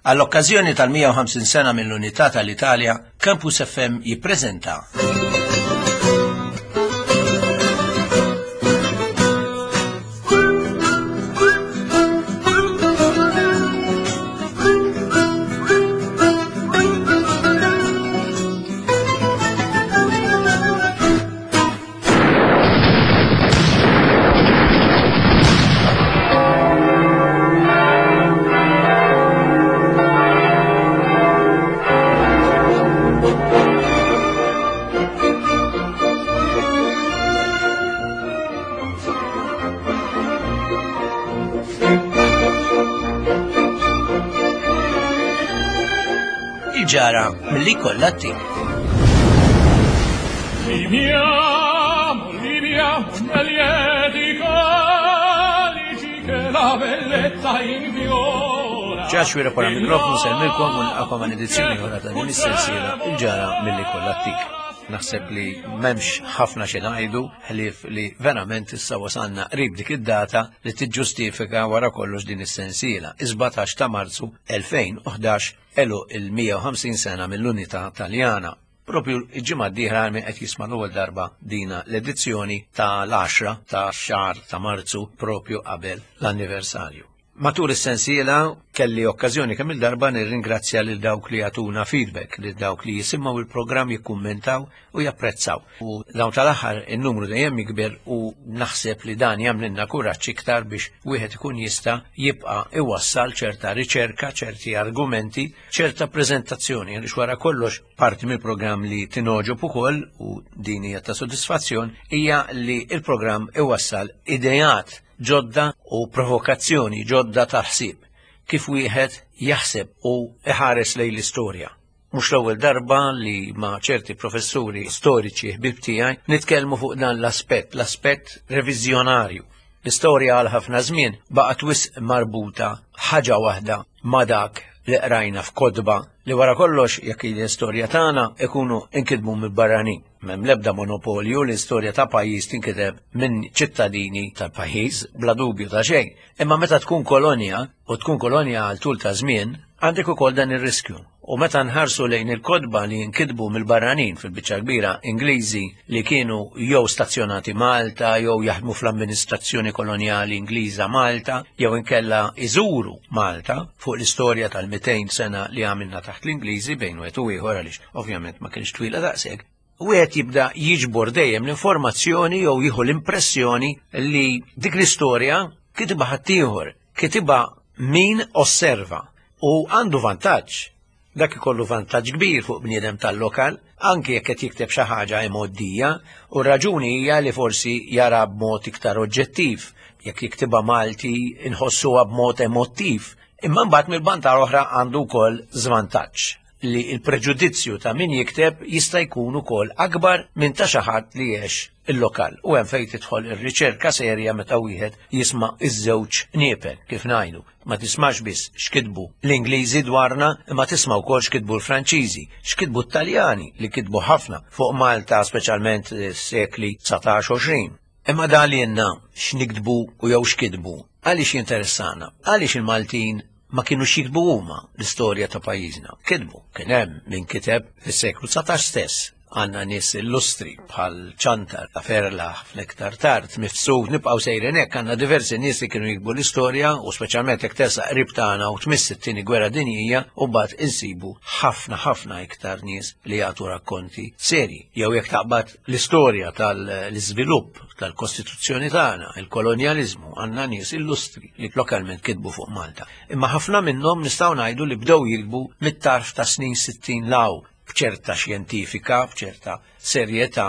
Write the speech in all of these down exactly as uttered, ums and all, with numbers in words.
Għall-okkażjoni tal-mija u ħamsin sena mill-Unità tal-Italja, Campus F M jippreżenta Il-ġara milli kollha tim. Viviamo, viviamo nel lieti calici che la bellezza infiora. Ġax wira pora mikrofonu semmilkom u nilqakom għal edizzjoni oħra ta' din is-sensiela Il-ġara milli kollha tik. Naħseb li m'hemmx ħafna xi ngħidu ħlief li verament issa wasalna qrib dik id-data li tiġġustifika wara kollox din is-sensiela. Is-sbatax ta' Marzu elfejn u ħdax elu il-mija u ħamsin sena mill-Unità Taljana. Propju il-ġimgħa d-dieħla min qed jisma' l-ewwel darba dina l-edizzjoni tal-għaxra ta' xahar ta' Marzu propju qabel l-anniversarju. Matul is-sensiela kelli okkażjoni kemm il-darba nirringrazzja lil dawk li jagħtuna feedback, lil dawk li jisimgħu il-programm, jikkummentaw u japprezzaw. U dawn tal-aħħar in-numru dejjem jikber u naħseb li dan jagħmlilna kuraġġ iktar biex wieħed ikun jista' jibqa' iwassal ċerta riċerka, ċerti argumenti, ċerta preżentazzjoni, għaliex wara kollox parti mill-programm li tinogħġob ukoll u din hija ta' sodisfazzjon hija li l-programm iwassal ideat ġodda u provokazzjoni ġodda ta' ħsieb, kif wieħed jaħseb u iħares lejn l-istorja. Mhux l-ewwel darba li ma' ċerti professuri storiċi ħbib tiegħi nitkellmu fuq dan l-aspett, l-aspett reviżjonarju. L-istorja għal ħafna żmien baqgħet wisq marbuta ħaġa waħda ma' dak li qrajna f'kotba li wara kollox jekk l-istorja tagħna ikunu inkitbu mill-barranin. M'hemm l-ebda monopolju l-istorja ta' pajjiż tinkiteb minn ċittadini tal-pajjiż bla dubju ta' xejn. Imma meta tkun kolonja u tkun kolonja għal tul ta' żmien, għandek ukoll dan ir-riskju. U meta nħarsu lejn il-kotba li jinkitbu mill-barranin fil-biċċa kbira Ingliżi li kienu jew stazzjonati Malta, jew jaħdmu fl-amministrazzjoni kolonjali Ingliża Malta, jew inkella iżuru Malta fuq l-istorja tal-mitejn sena li għamilna taħt l-Ingliżi bejn wieħed u ieħor għaliex ovvjament ma kienx twila daqshekk. Wieħed jibda jiġbor dejjem l-informazzjoni jew jieħu l-impressjoni li dik l-istorja kitibha ħaddieħor, kitibha min osserva u għandu vantaġġ. Dak ikollu vantaġġ kbir fuq bniedem tal-lokal, anki jekk qed jikteb xi ħaġa emoddija, u r-raġuni hija li forsi jara b'mod iktar oġġettiv, jekk jiktibha Malti inħossuha b'mod emottiv, imma mbagħad mill-banda l-oħra għandu wkoll żvantaġġ li l-preġudizzju ta' min jikteb jista' jkun ukoll akbar minn ta' xi ħadd li għex il-lokal. U hemm fejn tidħol ir-riċerka serja meta wieħed jisma' iż-żewġ niepel, kif ngħidu. Ma tismax biss x'kitbu l-Ingliżi dwarna, imma tisma' wkoll x'kitbu l-Franċiżi, x'kitbu t-Taljani li kitbu ħafna fuq Malta, speċjalment s-sekli dsatax u għoxrin. Imma dan li jenna x'niktbu u jew x'kitbu, għaliex jinteressana? Għaliex il-Maltin ma kienux jiktbu huma l-istorja ta' pajjiżna? Kitbu, kien hemm min kiteb fis-seklu dsatax stess. Għandna nies illustri bħal Ċantar, Ferla, ħafna iktar tard, Mifsud, nibqgħu sejrin hekk, għandna diversi nies li kienu jiktbu l-istorja u speċjalment jekk tersaq qrib tagħna u tmiss it-tieni gwerra dinjija u mbagħad insibu ħafna ħafna iktar nies li jagħtu rakkonti serji. Jew jekk taqbad l-istorja tal-iżvilupp tal-Kostituzzjoni tagħna, il-kolonjaliżmu, għandna nies illustri li lokalment kitbu fuq Malta. Imma ħafna minnhom nistgħu ngħidu li bdew jiktbu mit-tarf ta' snin sittin law, b'ċerta xjentifika, b'ċerta serjetà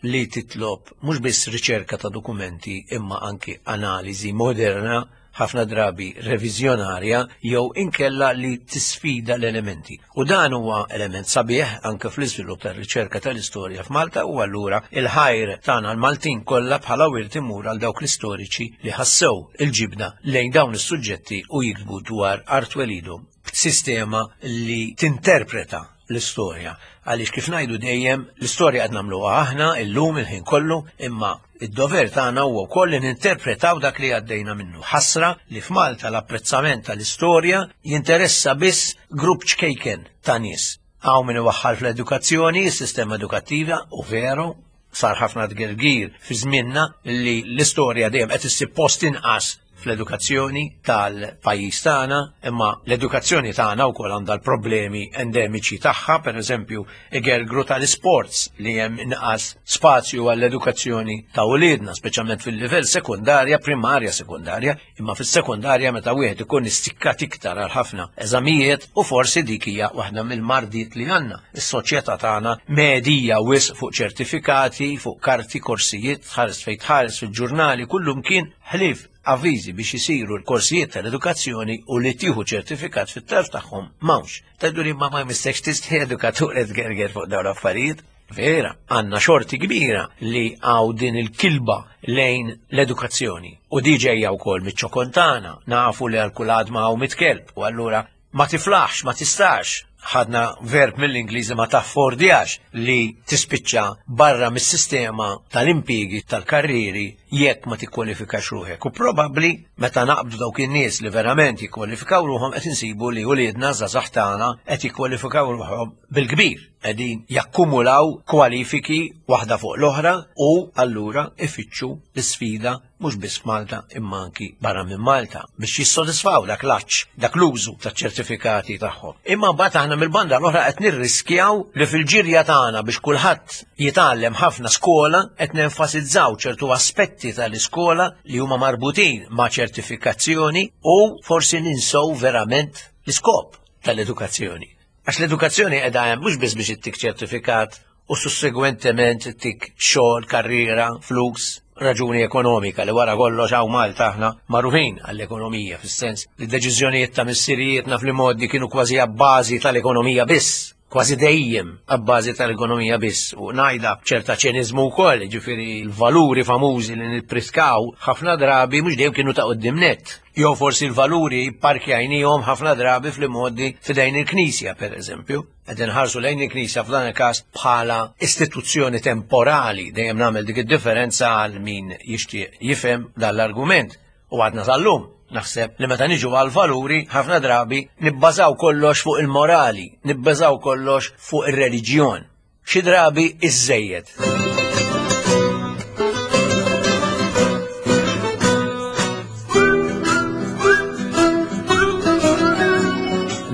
li titlob mhux biss riċerka ta' dokumenti imma anki analiżi moderna, ħafna drabi reviżjonarja jew inkella li tisfida l-elementi. U dan huwa element sabiħ anke fl-iżvilupp tar-riċerka tal-istorja f'Malta u allura il-ħajr tagħna l-Maltin kollha bħala wirt imur għal dawk l-istoriċi li ħassew il-ġibda lejn dawn is-suġġetti u jiktbu dwar art welidhom b'sistema li tinterpreta l-istorja. Għaliex kif ngħidu dejjem l-istorja qed nagħmluha aħna illum il-ħin kollu, imma id-dover tagħna huwa wkoll li ninterpretaw dak li għaddejna minnu. Ħasra li f'Malta l-apprezzament tal-istorja jinteressa biss grupp ċkejken ta' nies. Hawn min iwaħħal fl-edukazzjoni, is-sistema edukattiva, u veru, sar ħafna tgergir fi żmienna li l-istorja dejjem qed issib post inqas fl-edukazzjoni tal-pajjiż tagħna, imma l-edukazzjoni tagħna wkoll għandha l-problemi endemiċi tagħha, pereżempju igergru tal-isports li hemm inqas spazju għall-edukazzjoni ta' uliedna, speċjalment fil-livell sekundarja, primarja sekundarja, imma fis-sekundarja meta wieħed ikun istikkat iktar għal ħafna eżamijiet, u forsi dik hija waħda mill-mardiet li għandna. Is-soċjetà tagħna medija wisq fuq ċertifikati, fuq karti, korsijiet, tħares fejn tħares fil-ġurnali, kullum kien ħlief avviżi biex isiru l-korsijiet tal-edukazzjoni u li tieħu ċertifikat fit-tarf tagħhom m'hawnx. Tgħidu li ma ma jmissekx tistħi edukatur qed tgerger fuq dawn l-affarijiet. Vera, għandna xorti kbira li għaw din il-kilba lejn l-edukazzjoni. U di ġejja wkoll miċ-ċokontana, nafu li għal kull għadma hawn mitt kelb, u allura ma tiflaħx, ma tistax. Ħadna verb mill-Ingliżi ma taffordjax li tispiċċa barra mis-sistema tal-impjiegi tal-karriri jekk ma tikkwalifikax ruħek. U probabbli meta naqbdu dawk in-nies li verament jikkwalifikaw ruħhom qed insibu li uliedna żgħażagħ tagħna qed jikkwalifikaw ruħhom bil-kbir, qegħdin jakkumulaw kwalifiki waħda fuq l-oħra u allura ifittxu l-isfida mhux biss f'Malta imma anki barra minn Malta biex jissodisfaw dak l-għatx, dak l-użu taċ-ċertifikati tagħhom. Imma mbagħad aħna mill-banda l-oħra qed nirriskjaw li fil-ġirja tagħna biex kulħadd jitgħallem ħafna skola qed nenfasizzaw ċertu aspetti tal-iskola li huma marbutin ma' ċertifikazzjoni u forsi ninsow verament l-iskop tal-edukazzjoni. Għax l-edukazzjoni qiegħda hemm mhux biss biex ittik ċertifikat u sussegwentement ittik xogħol, karriera, flus, raġuni ekonomika li wara kollox hawn Malta aħna magħrufin għall-ekonomija, fis-sens li d-deċiżjonijiet ta' missirijietna fl-modi kienu kważi abbażi tal-ekonomija biss, kważi dejjem abbażi tal-ekonomija biss, u ngħidha ċerta ċeniżmu wkoll, ġifieri l-valuri famużi li nippriskaw ħafna drabi mhux dejjem kienu ta' quddiem nett. Jew forsi l-valuri parkjajnihom ħafna drabi fl-modi f'idejn il-Knisja, per eżempju. Qegħdin ħarsu lejn il-Knisja f'dan il-każ bħala istituzzjoni temporali, dejjem nagħmel dik id-differenza għal min jixtieq jifhem dan l-argument. U għadna sal-lum, naħseb li meta niġu għal valuri ħafna drabi nibbażaw kollox fuq il-morali, nibbażaw kollox fuq ir-reliġjon. Xi drabi iżżejjed.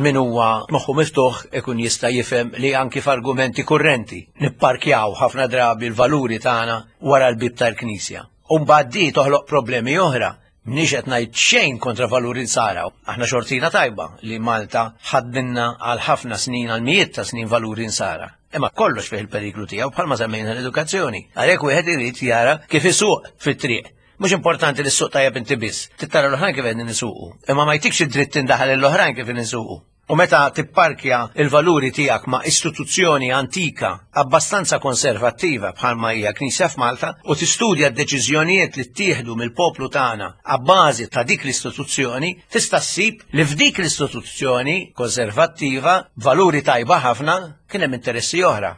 Min huwa moħħu miftuħ ikun jista' jifhem li anki f'argumenti kurrenti nipparkjaw ħafna drabi l-valuri tagħna wara l-bib tal-Knisja. U mbagħad di toħloq problemi oħra. Mniex qed ngħid xejn kontra valuri nsara. Aħna xortina tajba li Malta ħaddinna għal ħafna snin, għal mijiet ta' snin valuri nsara. Imma kollox fih il-periklu tiegħu bħalma semmejna l-edukazzjoni. Għalhekk wieħed irid jara kif isuq fit-triq. Mhux importanti li s-suq tajjeb inti biss, tittara l-oħrajn kif qegħdin nisuqu. Imma ma jtikx id-dritt tindaħal l-oħrajn kif nisuqu. U meta tipparkja il-valuri tiegħek ma' istituzzjoni antika abbastanza konservattiva bħalma hija Knisja f'Malta u tistudja d-deċiżjonijiet li ttieħdu mill-poplu tagħna abbażi ta' dik l-istituzzjoni, tista' ssib li f'dik l-istituzzjoni konservattiva valuri tajba ħafna kien hemm interessi oħra.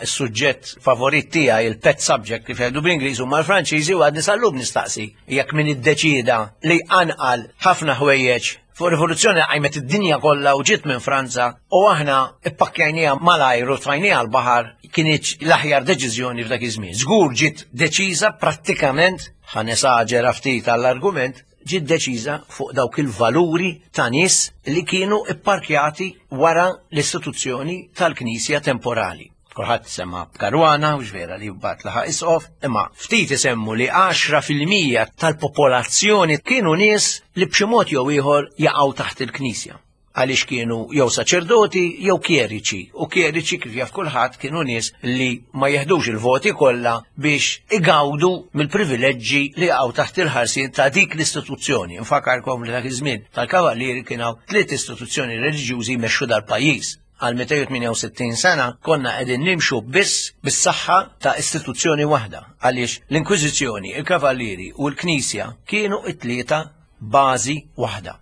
Is-suġġett favorit tiegħi, il-pet subject kif jgħidu bl-Ingliż huma l-Franċiżi, u għadni sal-lum nistaqsi jekk min iddeċieda li anqal ħafna ħwejjeġ fuq rivoluzzjoni qajmet id-dinja kollha u ġiet minn Franza u aħna ippakkjajniha malajr u tfajniha l-baħar, kienet l-aħjar deċiżjoni f'dak iż-żmien. Żgur ġiet deċiża prattikament, ħa nesaġera ftit għall-argument, ġiet deċiża fuq dawk il-valuri ta' nies li kienu ipparkjati wara l-istituzzjoni tal-Knisja temporali. Kulħadd sema b'Karwana, u vera li mbagħad laħaq isqof, imma ftit isemmu li għaxra fil-mija tal-popolazzjoni kienu nies li b'xi mod jew ieħor jaqgħu taħt il-Knisja. Għaliex kienu jew saċerdoti jew kjeriċi, u kjeriċi kif jaf kulħadd kienu nies li ma jeħdux il-voti kollha biex igawdu mill-privileġġi li jaqgħu taħt il-ħarsien ta' dik l-istituzzjoni. Infakarkom li dak iż-żmien tal-Kavallieri kien hawn tliet istituzzjoni reliġjużi jmexxu dal-pajjiż. Għal mitejn u tmienja u sittin sena konna qegħdin nimxu biss bis-saħħa ta' istituzzjoni waħda, għaliex l-Inkwiżizzjoni, il-Kavallieri u l-Knisja kienu it-tlieta bażi waħda.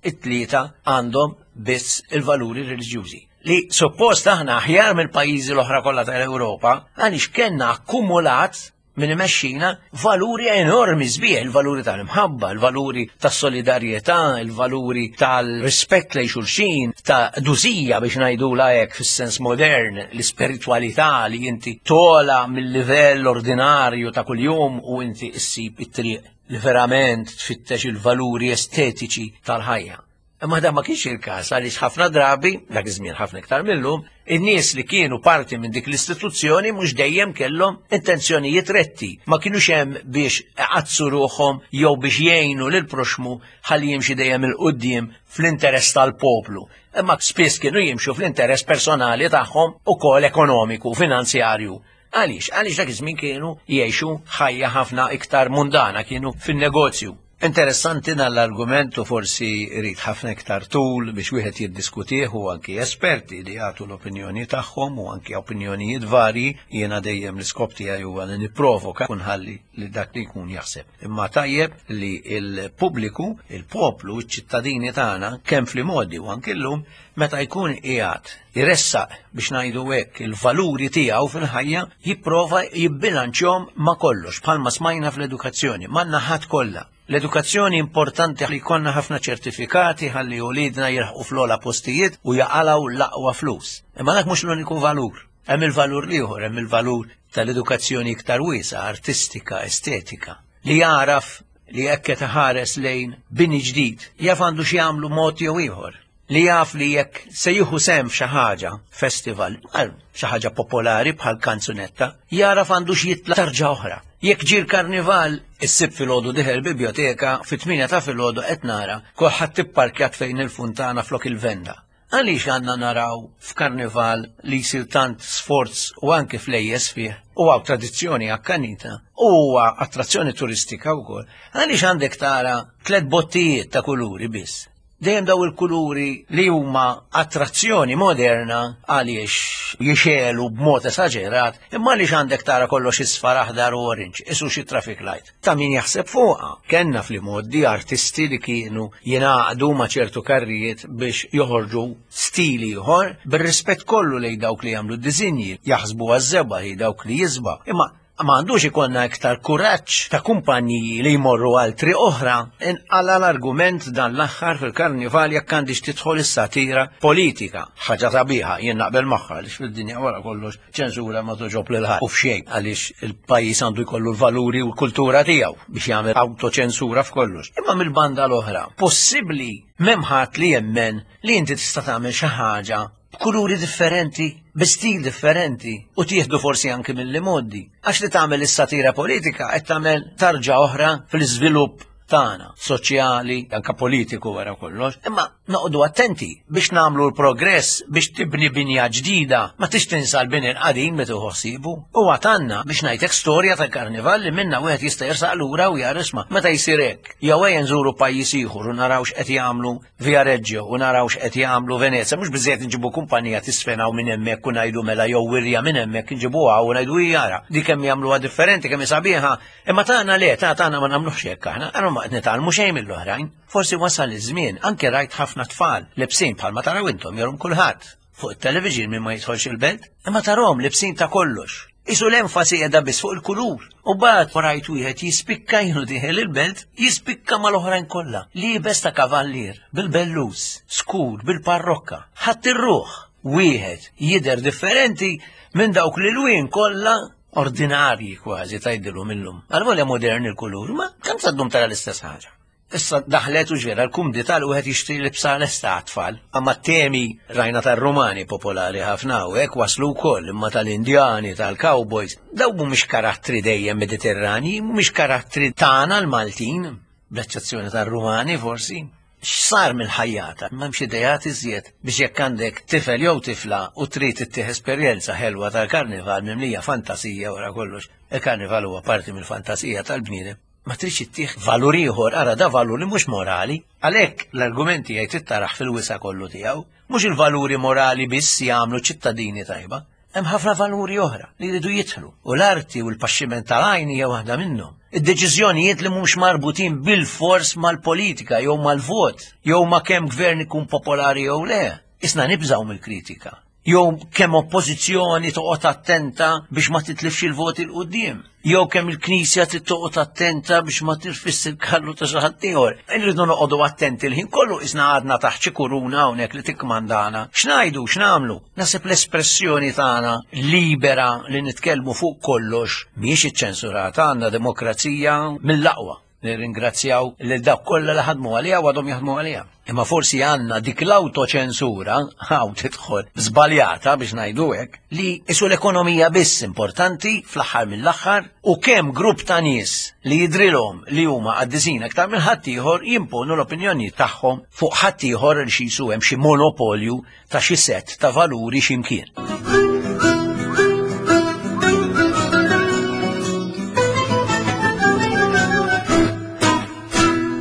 It-tlieta għandhom biss il-valuri reliġjużi. Li suppost aħna aħjar mill-pajjiżi l-oħra kollha tal-Ewropa, għaliex kellna akkumulat minn imexxina valuri enormi sbieħ, il-valuri tal-imħabba, il-valuri tas-solidarjetà, il-valuri tal-rispett lejn xulxin, ta' dużija biex ngħidula hekk fis-sens modern, l-ispiritwalità li inti tola mill-livell ordinarju ta' kuljum u inti issib it-triq li verament tfittex il-valuri estetiċi tal-ħajja. Imma dan ma kienx il-każ għaliex ħafna drabi, dak iż-żmien ħafna iktar millum, in-nies li kienu parti minn dik l-istituzzjoni mhux dejjem kellhom intenzjonijiet retti, ma kienux hemm biex iqaddsu ruħhom jew biex jgħinu lil proxmu ħalli jimxi dejjem 'il quddiem fl-interess tal-poplu. Imma spiss kienu jimxu fl-interess personali tagħhom ukoll ekonomiku, finanzjarju. Għaliex? Għaliex dak iż-żmien kienu jgħixu ħajja ħafna iktar mundana, kienu fin-negozju. Interessanti dan l-argument u forsi rrid ħafna iktar tul biex wieħed jiddiskutih u anki esperti li jagħtu l-opinjoni tagħhom u anki opinjonijiet varji, jiena dejjem l-iskop tiegħi huwa li nipprovoka u nħalli li dak li jkun jaħseb. Imma tajjeb li l-pubbliku, il-poplu, iċ-ċittadini tagħna kemm fl-modi u anki llum meta jkun qiegħed jressaq biex ngħidu hekk il-valuri tiegħu fil-ħajja jipprova jibbilanċjhom ma' kollox bħalma smajna fl-edukazzjoni, man-naħat kollha. L-edukazzjoni importanti li jkollna ħafna ċertifikati ħalli ulidna jilħqu fl-ogħla postijiet u jaqalgħu l-aqwa flus. Imma dak mhux l-uniku valur. Hemm il-valur l-ieħor, hemm il-valur tal-edukazzjoni iktar wiesgħa, artistika, estetika, li jaraf li jekk qed iħares lejn bini ġdid, jaf għandu xi jagħmlu mod jew ieħor. Li jaf li jekk se jieħu sehem f'xi ħaġa, festival, għal xi ħaġa popolari bħal kanzunetta, jaraf għandu xi jitla' tarġa oħra. Jekk ġie l-karnival, issib filgħodu dieħel biblioteka, fit-tmienja ta' filgħodu qed nara kulħadd tipparkjat fejn il-funtana flok il-venda. Għaliex għandna naraw f'karnival li jsir tant sforz u anke flejjes fih, u għaw tradizzjoni akkanita, u huwa attrazzjoni turistika wkoll, għaliex għandek tara tliet bottijiet ta' kuluri biss? Dejjem daw il-kuluri li huma attrazzjoni moderna għaliex jixelu b'mod esaġerat, imma għaliex għandek tara kollox isfar, aħdar u orange, isu xi traffic light. Ta' min jaħseb fuqha. Kenna fl-modi artisti li kienu jingħaqdu ma' ċertu karrijiet biex joħorġu stili ieħor bir-rispett kollu lejn dawk li jagħmlu d-disinji, jaħsbu għaż-żebgħa hi dawk li jisba'. Imma ma għandux ikollna iktar kuraġġ ta' kumpaniji li jmorru għal triq oħra. Inqala l-argument dan l-aħħar fil-karnival jekk għandix tidħol is-satira politika. Ħaġa sabiħa, jien naqbel magħha għaliex fid-dinja wara kollox ċensura ma toġob lil ħadd u f'xejn għaliex il-pajjiż għandu jkollu l-valuri u l-kultura tiegħu biex jagħmel autoċensura f'kollox. Imma mill-banda l-oħra, possibbli m'hemm ħadd li jemmen li inti tista' tagħmel xi ħaġa b'kuluri differenti, bi stil differenti u tieħdu forsi anki mill-modi. Għax li tagħmel is-satira politika qed tagħmel tarġa oħra fl-iżvilupp tagħna, soċjali, anka politiku wara kollox. Imma noqogħdu attenti biex nagħmlu l-progress biex tibni binja ġdida, ma tix tinsa l-bini l-qadim meta ħsibu. U għatanna biex ngħidlek storja tal-karnival li minna wieħed jista' jersaq lura u jara isma' meta jsir hekk. Jew ejja nżuru pajjiż ieħor u naraw x'qed jagħmlu Viareggio u naraw x'qed jagħmlu Venezia, mhux biżejjed nġibu kumpanija tisfenaw minn hemmhekk u ngħidu mela jew wirja minn hemmhekk nġibuha u ngħidu jara. Di kemm jagħmluha differenti, kemm sabiħa, imma tagħna le, ta' tagħna ma nagħmluhx hekk aħna, aħna ma qed nitgħallmu xejn mill-oħrajn. Forsi wasal iż-żmien, anke rajt ħafna tfal lebsin bħalma taraw intom jerum kulħadd fuq it-television minn ma jidħolx il-belt, imma tarahom lebsin ta' kollox. Isu l-enfasi qiegħda biss fuq il-kulur. U bad rajt wieħed jispikka jienu dieħel il-belt, jispikka mal-oħrajn kollha. Liebes ta' kavallier, bil-bellus, skur, bil-parrokka. Ħadd ir-ruħ wieħed jidher differenti minn dawk li l-wien kollha ordinarji kważi tgħidilhom illum. Għal-volja modern il-kulur, ma kemm saddum tara l-istess ħaġa. Issa daħlet u ġvera l-kumdità li wieħed jixtri libsa lesta għat-tfal. Amma temi rajna tar-Rumani popolari ħafna u hekk waslu wkoll, imma tal-Indjani, tal-Cowboys. Daw mhumiex karattri dejjem Mediterrani, mhumiex karattri tagħna l-Maltin, bl-eċċezzjoni tar-Rumani forsi. X'sar mill-ħajjata? M'hemmx idejat iżjed biex jekk għandek tifel jew tifla u trid ittih esperjenza ħelwa tal-karnival mimlija fantasija wara kollox. Il-karnival huwa parti mill-fantasija tal-bniedem. Ma tridx ittih valur ieħor, ara da valur li mhux morali. Għalhekk l-argumenti jgħid ittaraħ fil-wisa kollu tiegħu, mhux il-valuri morali biss jagħmlu ċittadini tajba. Hemm ħafna valuri oħra li jridu jidħlu, u l-arti u l-paxximent tal-għajn hija waħda minnhom. Id-deċiżjonijiet li mhux marbutin bil-fors mal-politika jew mal-vot, jew ma' kemm gvern ikun popolari jew le. Isna nibżgħu mill-kritika. Jew kemm oppożizzjoni toqgħod attenta biex ma titlifx il-voti 'l quddiem. Jew kemm il-Knisja trid toqgħod attenta biex ma tirfisx il-kallu ta' xi ħadd ieħor. Irridu noqogħdu attenti l-ħin kollu isna għadna taħt xi kuruna hawnhekk li tikkmandana. X'ngħidu, x'nagħmlu? Naħseb l-espressjoni tagħna libera li nitkellmu fuq kollox mhijiex iċċensurata, għandna demokrazija mill-aqwa. Nirringrazzjaw lil dawk kollha li ħadmu għaliha u għadhom jaħdmu għaliha. Imma forsi għandna dik l-autoċensura, hawn tidħol żbaljata biex ngħidu hekk, li isu l-ekonomija biss importanti fl-aħħar mill-aħħar u kemm grupp ta' nies li jidrilhom li huma qaddisin aktar minn ħaddieħor jimponu l-opinjoni tagħhom fuq ħaddieħor li xi jisu hemm xi monopolju ta' xi set ta' valuri x'imkien.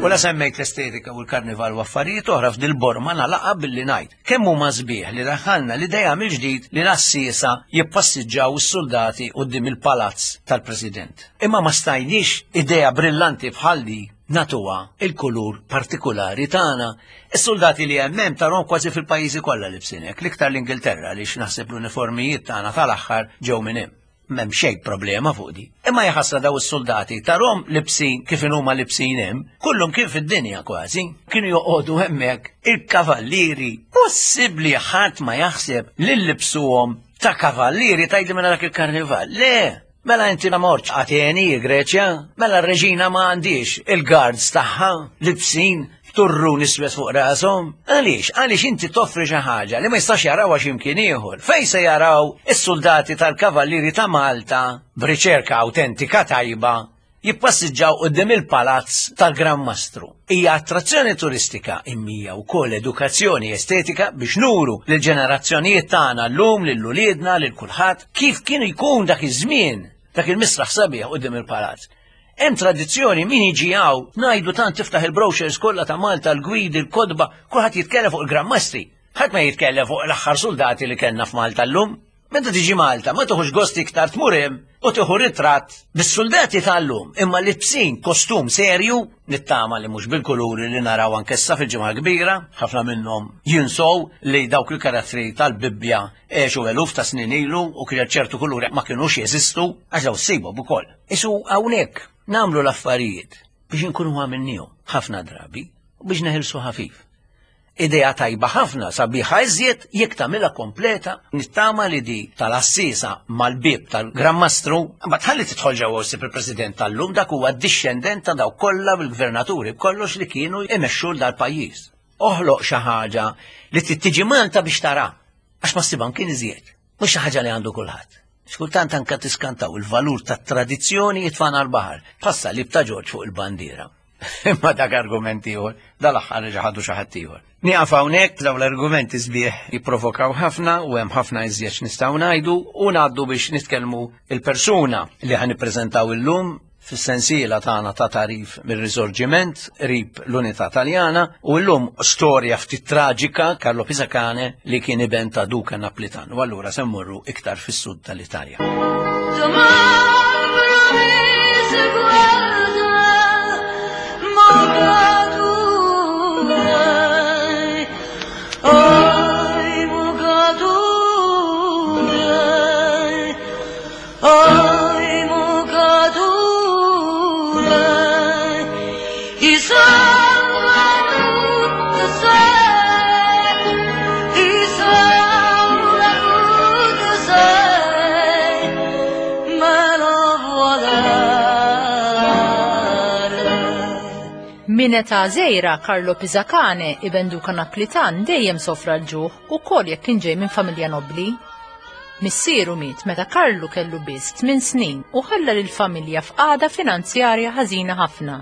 U la semmejt l-estetika u l-karnival u affarijiet oħra f'dil-borma nagħlaqha billi ngħid kemm huma sbieħ li daħħalna l-idea mill-ġdid li l-għassiesa jippassiġġaw is-soldati quddiem il-palazz tal-President. Imma ma stajniex idea brillanti bħal di natuha il-kulur partikolari tagħna. Is-soldati li hemm hemm tarhom kważi fil-pajjiżi kollha libsin hekk, l-iktar l-Ingilterra għaliex naħseb l-uniformijiet tagħna tal-aħħar ġew minn hemm. M'hemm xejn problema fuq di. Imma jaħasra daw is-soldati tarhom libsin kif inhuma libsin hemm, kullhom kien fid-dinja kważi, kienu joqogħdu hemmhekk il-kavallieri. Possibbli ħadd ma jaħseb li libsuhom ta' kavallieri tgħidli mela dak il-karnival. Le, mela inti ma mortx Ateni, Greċja, mela r-reġina ma għandix il-guards tagħha libsin turrun iswed fuq rashom. Għaliex? Għaliex inti toffri xi ħaġa li ma jistax jarawha x'imkien ieħor. Fejn se jaraw is-soldati tal-Kavallieri ta' Malta b'riċerka awtentika tajba jippassiġġaw quddiem il-palazz tal-Gran Mastru. Hija attrazzjoni turistika imma wkoll edukazzjoni estetika biex nuru lil ġenerazzjonijiet tagħna llum lil uliedna lil kulħadd kif kienu jkun dak iż-żmien, dak il-misraħ sabiħ quddiem il-palazz. Hemm tradizzjoni min jiġi hawn ngħidu tant tiftaħ il-brochures kollha ta' Malta, l-gwidi, l-kodba, kulħadd jitkellem fuq il-Gran Mastri. Ħadd ma jitkellem fuq l-aħħar soldati li kellna f'Malta llum. Meta tiġi Malta ma tieħux gost iktar tmur hemm u tieħu ritratt bis-soldati tal-lum imma libsin kostum serju, nittama li mhux bil-kuluri li naraw anke issa fil-Ġimgħa Kbira, ħafna minnhom jinsow li dawk il-karattri tal-Bibbja għexu eluf ta' snin ilu u kien ċertu kuluri ma kinux jeżistu għax daw ssibhom ukoll. Isu hawnhekk nagħmlu l-affarijiet biex inkunu għamilnihom ħafna drabi u biex neħilsu ħafif. Idea tajba ħafna sabiħa iżjed jekk tagħmilha kompleta, nittama li di tal-assisa mal-bib tal-Gran Mastru, ma tħalli tidħol ġewwa ssib il-President tal-lum, dak huwa d-dixxendent ta' dawk kollha bil-gvernaturi b'kollox li kienu imexxu dal-pajjiż. Oħloq xi ħaġa li trid tiġi Malta biex tara, għax ma ssibha kien iżjed, mhux xi ħaġa li għandu kulħadd. Xkultant anka tiskantaw il-valur tat-tradizzjoni jitfana l-baħar, passa li ta' Ġorġ fuq il-bandiera. Imma dak argumenti ieħor, dal-aħħar reġa' ħadu xi ħadd ieħor. Nieqaf hawnhekk, dawn l-argumenti sbieħ jipprovokaw ħafna u hemm ħafna iżjed x'nistgħu ngħidu u ngħaddu biex nitkellmu il-persuna li ħa nippreżentaw illum fis-sensiela tagħna ta' tarif mir-Risorġiment qrib l-Unità Taljana u llum storja ftit traġika Carlo Pisacane li kien iben ta' Duka Naplitan. U allura se mmorru iktar fis-sud tal-Italja. Min età żgħira Carlo Pisacane, iben Duka Naplitan, dejjem sofra l-ġuħ ukoll jekk kien ġej minn familja nobbli. Missieru miet meta Carlo kellu biss tmien snin u ħalla lill-familja f'qagħda finanzjarja ħażina ħafna.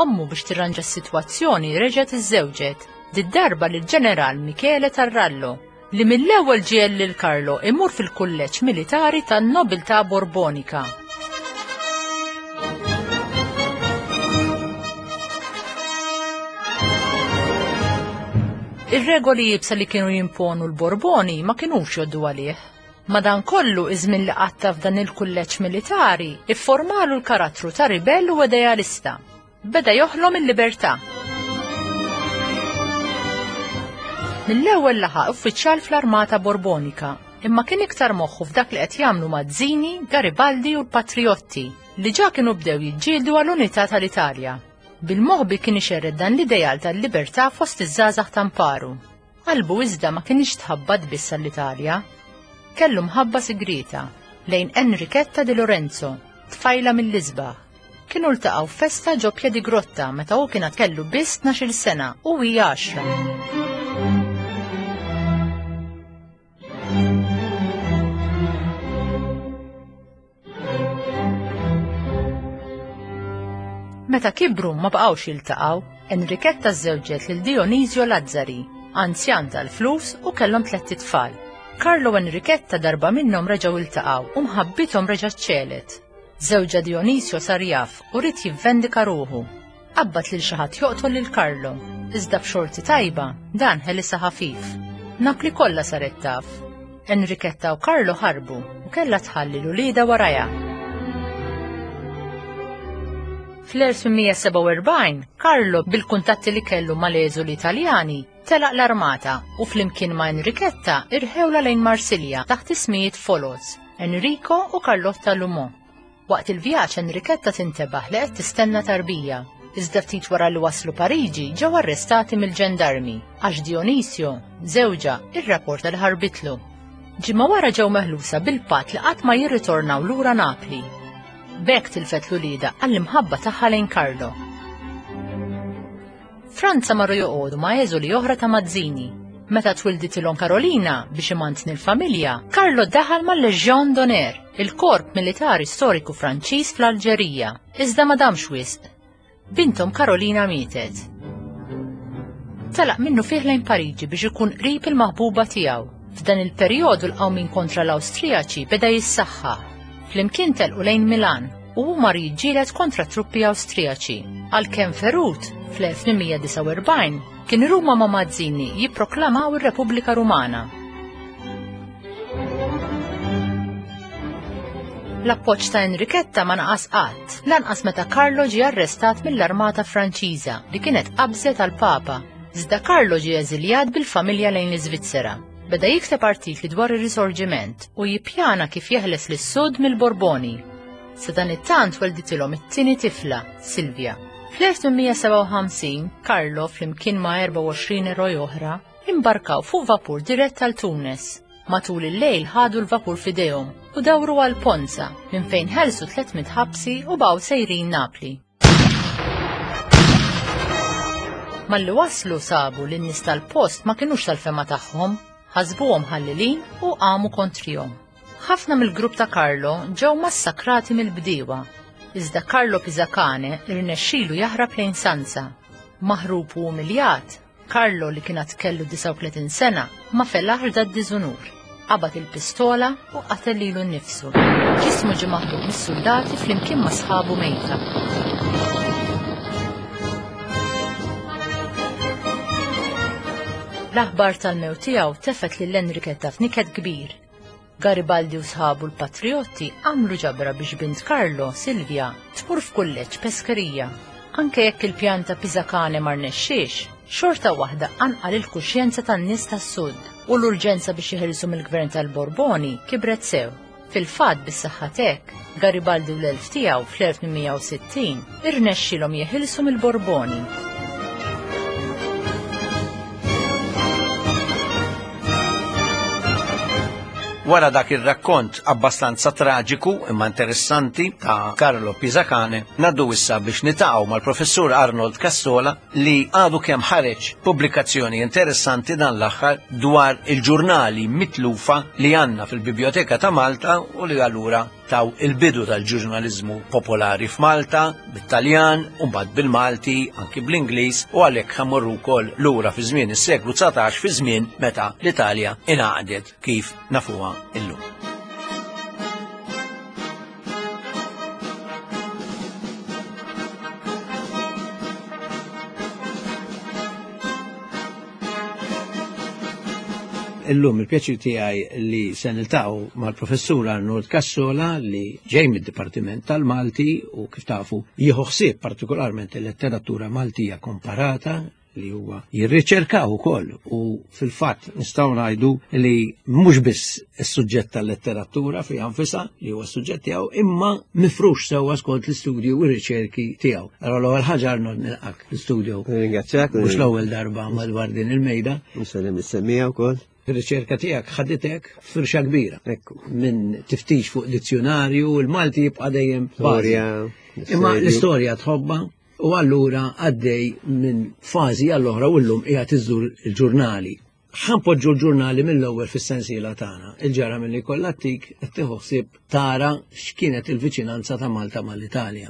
Ommu biex tirranġa s-sitwazzjoni reġgħet iżżewġet, did-darba lill-ġeneral Michele Tarrallo, li mill-ewwel ġiel lil Carlo imur fil-kulleġġ militari tan-nobiltà Borbonika. Ir-regoli iebsa li kienu jimponu l-Borboni ma kinux joddu għalih. Madankollu iż-żmien li qatta f'dan il-kulleġġ militari ifformalu l-karattru ta' ribell u idealista. Beda joħlom il-libertà. Mill-ewwel laħaq uffiċjal fl-Armata Borbonika, imma kien iktar moħħu f'dak li qed jagħmlu Mazzini, Garibaldi u l-Patriotti, li ġa kienu bdew jiġġieldu għall-unità tal-Italja. Bil-moħbi kien ixerred dan l-ideal tal-libertà fost iż-żgħażagħ tamparu. Qalbu iżda ma kienx tħabbat biss għall-Italja. Kellu mħabba sigrieta lejn Enrichetta di Lorenzo, tfajla mill-isbaħ. Kienu ltaqgħu festa ġo Piedigrotta meta hu kien kellu biss tnax-il sena u hi għaxra. Meta kibru ma baqgħux jiltaqgħu, Enrichetta żżewġet lil Dionisio Lazzari, anzjan tal-flus u kellhom tlett itfal. Carlo u Enrichetta darba minnhom reġgħu iltaqgħu u mħabbithom reġgħet ċelet. Żewġha Dionisio sar jaf u ried jivvendika ruħu. Qabbat lil xi ħadd joqtol lil Carlo, iżda b'xorti tajba dan ħelisha ħafif. Napli kollha saret taf. Enrichetta u Carlo ħarbu u kellha tħalli l-ulieda warajha. Fl-elf tmien mija sebgħa u erbgħin, Carlo bil-kuntatti li kellu mal-eżuli Italjani telaq l-armata u flimkien ma' Enrichetta irħewla lejn Marsilja taħt ismijiet foloz, Enrico u Carlotta Lumont. Waqt il-vjaġġ Enrichetta tintebaħ li qed tistenna tarbija. Iżda ftit wara li waslu Pariġi ġew arrestati mill-ġendarmi għax Dionisio, żewġha, irrapporta li ħarbitlu. Ġimgħa wara ġew meħlusa bil-patt li qatt ma jirritornaw lura Napli. B'hekk tilfet l-ulieda għall-imħabba tagħha lejn Carlo. Franza marru joqogħdu ma' eżuli oħra ta' Mazzini. Meta twilditilhom Carolina biex imantni l-familja, Carlo daħal mal-Legion d'Honneur, il-korp militari storiku Franċiż fl-Alġerija, iżda ma damx wisq. Bintom Carolina mietet. Telaq minnu fih lejn Pariġi biex ikun qrib il-maħbuba tiegħu. F'dan il-perjodu l-qawmin kontra l-Awstrijaċi beda jissaħħaħ. Flimkien telqu lejn Milan u hu mar jiġġieled kontra truppi Awstrijaċi. Għalkemm ferut, fl-elf tmien mija disgħa u erbgħin kien Ruma ma' Mazzini jipproklamaw ir-Repubblika Rumana. L-appoġġ ta' Enrichetta ma naqas qatt, lanqas meta Carlo ġie arrestat mill-Armata Franċiża li kienet qabżet għal Papa. Iżda Carlo ġie eżiljat bil-familja lejn l-Iżvizzera. Beda jikteb artikli dwar ir-Risorġiment u jippjana kif jeħles lis-Sud mill-Borboni. Sa dan it-tant welditilhom it-tieni tifla, Silvia. Fl-elf tmien mija sebgħa u ħamsin, Carlo flimkien ma' erbgħa u għoxrin eroj oħra imbarkaw fuq vapur dirett għal Tunis. Matul il-lejl ħadu l-vapur f'idejhom u dawru għal Ponza minn fejn ħelsu tliet mitt ħabsi u baqgħu sejrin Napli. Malli waslu sabu li n-nies tal-post ma kinux tal-fema tagħhom, ħasbuhom ħallilin u qamu kontrihom. Ħafna mill-grupp ta' Carlo ġew massakrati mill-bdiewa. Iżda Carlo Pisacane irnexxielu jaħrab lejn Sanza. Maħrub u umiljat, Carlo li kien għad kellu disgħa u tletin sena ma felaħx da d-diżunur. Qabad il-pistola u qatel lilu nnifsu. Ġismu ġie maħluq mis-soldati flimkien ma' sħabu mejta. L-aħbar tal-mewt tiegħu tefet lil Enrichetta f'niket kbir. Garibaldi u sħabu l-Patriotti għamlu ġabra biex bint Carlo, Silvia, tmur f'kulleġġ peskerija. Anke jekk il-pjan ta' Pisacane ma rnexxiex, xorta waħda anqal il-kuxjenza tan-nies tas-Sud u l-urġenza biex jeħilsu mill-gvern tal-Borboni kibret sew. Fil-fatt bis-saħħa t'hekk, Garibaldi u l-elf tiegħu fl-elf tmien mija u sittin irnexxielhom jeħilsu mill-Borboni. Wara dak ir-rakkont abbastanza traġiku imma interessanti ta' Carlo Pisacane, naddu issa biex nitaqgħu mal-professur Arnold Cassola li għadu kemm ħareġ pubblikazzjoni interessanti dan l-aħħar dwar il-ġurnali mitlufa li għandna fil-Biblioteka ta' Malta u li allura taw il-bidu tal-ġurnalizmu popolari f'Malta, bit-Taljan, u mbagħad bil-Malti, anki bl-Ingliż, u għalhekk ħammorru wkoll lura fi żmien is-seklu dsatax, fi żmien meta l-Italja ingħaqdet kif nafuha illum. Illum il-pjaċir tiegħi li se niltaqgħu mal-professur Arnold Cassola li ġej mid-Dipartiment tal-Malti u kif tafu jieħu ħsieb partikolarment il-letteratura Maltija komparata, li huwa jirriċerkaw ukoll u fil-fatt nistgħu ngħidu li mhux biss is-suġġett tal-letteratura fiha nfisha li huwa s-suġġett tiegħu imma mifrux sewwa skont l-istudju u r-riċerki tiegħu. Allora l-ewwel ħaġa, Arnold, nilqak l-istudio. Ringrazzjak. Mhux l-ewwel darba madwar din il-mejda. Nsellem lis-semmiegħa wkoll. Ir-riċerka tiegħek ħaditek firxa kbira. Ekku. Minn tiftix fuq dizzjonarju, il-Malti jibqa' dejjem bażi. Storja. Imma l-istorja tħobba u allura għaddej minn fażi għall-oħra u llum qiegħed iżżur il-ġurnali. Ħa npoġġu l-ġurnali mill-ewwel fis-sensiela tagħna. Il-ġara milli kollha tik qed tieħu ħsieb tara x'kienet il-viċinanza ta' Malta mal-Italja.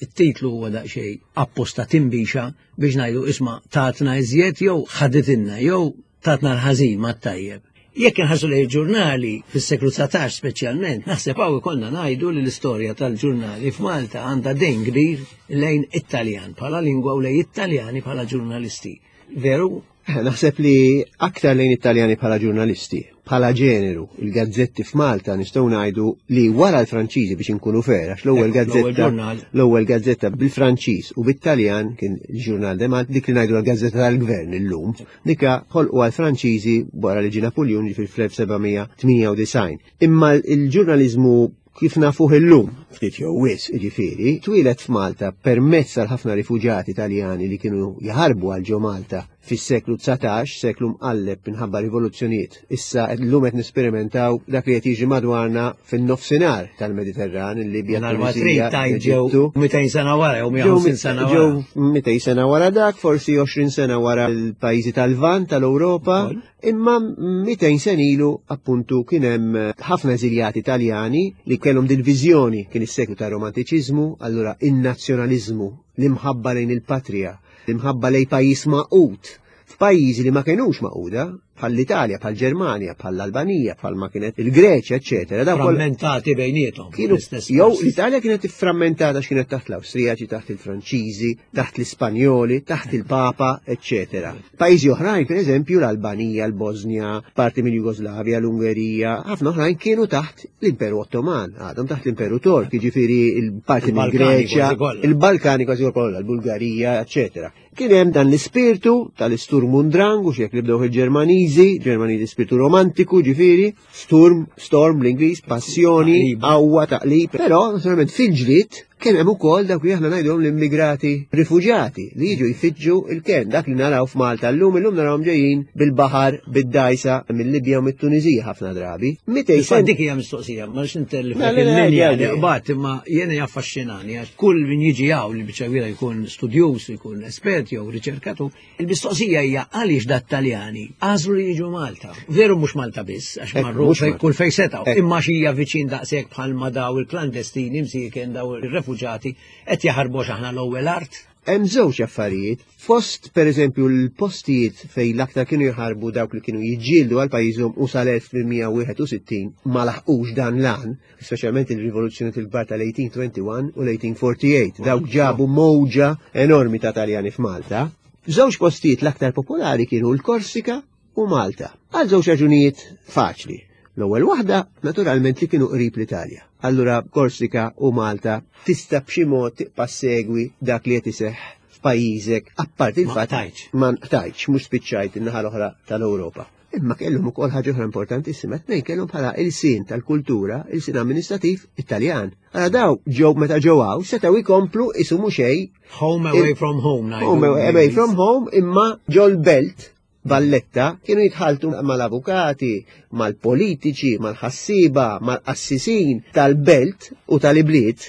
It-titlu huwa daqsxejn apposta timbixa biex ngħidu isma' tatna iżjed jew ħaditilna jew tatna l-ħażin ma tajjeb. Jekk inħarsu lejn il-ġurnali fis-seklu dsatax speċjalment, naħseb hawn ikollna ngħidu li l-istorja tal-ġurnali f'Malta għandha dejn kbir lejn Italjan bħala lingwa u lejn Italjani bħala ġurnalisti. Veru? Naħseb li aktar lejn Italjani bħala ġurnalisti, bħala ġeneru, il-gazzetti f'Malta nistgħu ngħidu li wara l-Franċiżi, biex inkunu fair, għax l-ewwel Ekku, l-ewwel gazzetta ġurnal. L-ewwel gazzetta bil-Franċiż u bit-Taljan kien il-Journal de Malta, dik li ngħidu l-gazzetta tal-gvern illum, dika ħolqu għal-Franċiżi wara li ġie Napoleon fil-elf seba' mija tmienja u disgħin. Imma il-ġurnaliżmu kif nafuh illum, ftit jew wisq, jiġifieri, twieled f'Malta permezz tal ħafna rifuġati Italjani li kienu jaħarbu għal ġo Malta fis-seklu dsatax, seklu mqalleb minħabba rivoluzzjonijiet. Issa llum qed nesperimentaw dak li qed jiġi madwarna fin-nofsinhar tal-Mediterran, il-Libja, Nhar ma trid Tunisija, tajt ġew l-Eġittu. mitejn sena wara jew Ġew mija u ħamsin sena wara. Ġew mitejn sena wara dak, forsi għoxrin sena wara l-pajjiżi tal-Lvant tal-Ewropa, Ukoll. imma mitejn sena ilu appuntu kien hemm ħafna eżiljati Italjani li kellhom din viżjoni, kien is-seklu tar-romantiċiżmu, allura in-nazzjonaliżmu, l-imħabba lejn il-patrija, l-imħabba lejn pajjiż magħqud f'pajjiżi li ma kienux magħquda, bħall-Italja, bħall-Ġermanja, bħall-Albanija, bħal ma kienet il-Greċja, eċetera. Dawn kollha Frammentati bejniethom. kienu L-istess jew post. l-Italja kienet frammentata x'kienet taħt l-Awstrijaċi, taħt il-Franċiżi, taħt l-Ispanjoli, taħt il-Papa, eċetera. Pajjiżi oħrajn, per eżempju, l-Albanija, l-Bosnja, parti mill-Jugoslavja, l-Ungerija, ħafna oħrajn kienu taħt l-Imperu Ottoman, għadhom taħt l-Imperu Tork, jiġifieri il-parti Il-Balkani mill-Greċja, kważi kollha. il-Balkani kważi kollha, l-Bulgarija, eċetera. Kien hemm dan l-ispirtu tal-Sturm und Drang, u xek li bdew il-Ġermaniżi, Ġermaniżi spiritu romantiku, ġifieri, Sturm, storm l-Ingliż, passjoni, Taqlib. qawwa, taqlib. Però, naturalment, fil-ġlied kien hemm ukoll dak li aħna ngħidulhom l-immigrati rifuġjati li jiġu jfittxu il-ken, dak li naraw f'Malta llum, illum narawhom ġejjin bil-baħar, bid-dajsa mill-Libja u mit-Tuniżija ħafna drabi. Mitej Issa sen dik hija mistoqsija, ma nix intellifek Le, le, le, il-linja le, li le. qbad, imma jiena jaffaxxinani għax kull min jiġi hawn li biċċa kbira jkun studjuż, jkun espert jew riċerkatur, il-mistoqsija hija għaliex dat-Taljani għażlu li jiġu Malta. Veru mhux Malta biss, għax Ekku, marru mhux fej Malta. kull fej setgħu, Ekku. imma xija viċin daqshekk bħalma daw il-klandestini msieken daw ir-refuġati qed jaħarbu aħna l-ewwel art. Hemm żewġ affarijiet. Fost per eżempju l-postijiet fej l-aktar kienu jħarbu dawk li kienu jiġġieldu għal pajjiżhom u sal-elf tmien mija wieħed u sittin ma laħqux dan l-għan, speċjalment il-rivoluzzjoni il-kbar tal-elf tmien mija wieħed u għoxrin u l-elf tmien mija erbgħa u erbgħin. Dawk ġabu mowġa enormi ta' Taljani f'Malta. Żewġ postijiet l-aktar popolari kienu l-Korsika u Malta. Għal żewġ raġunijiet faċli. L-ewwel waħda, naturalment, li kienu qrib l-Italja. Allura Korsika u Malta tista' b'xi mod tibqa' segwi dak li qed iseħħ f'pajjiżek, apparti Ma il-fatt qtajtx. ma qtajtx, mhux spiċċajt in-naħa l-oħra tal-Ewropa. Imma kellhom ukoll ħaġa oħra importantissima, tnejn kellhom bħala il-sin tal-kultura, il-sin amministrativ Italjan. Allora daw ġew meta ġew hawn setgħu jkomplu isumu xejn Home away from home, ngħidu. Home away from home, imma ġol belt Valletta kienu jitħaltu mal-avukati, mal-politiċi, mal-ħassiba, mal-qassisin tal-belt u tal-ibliet,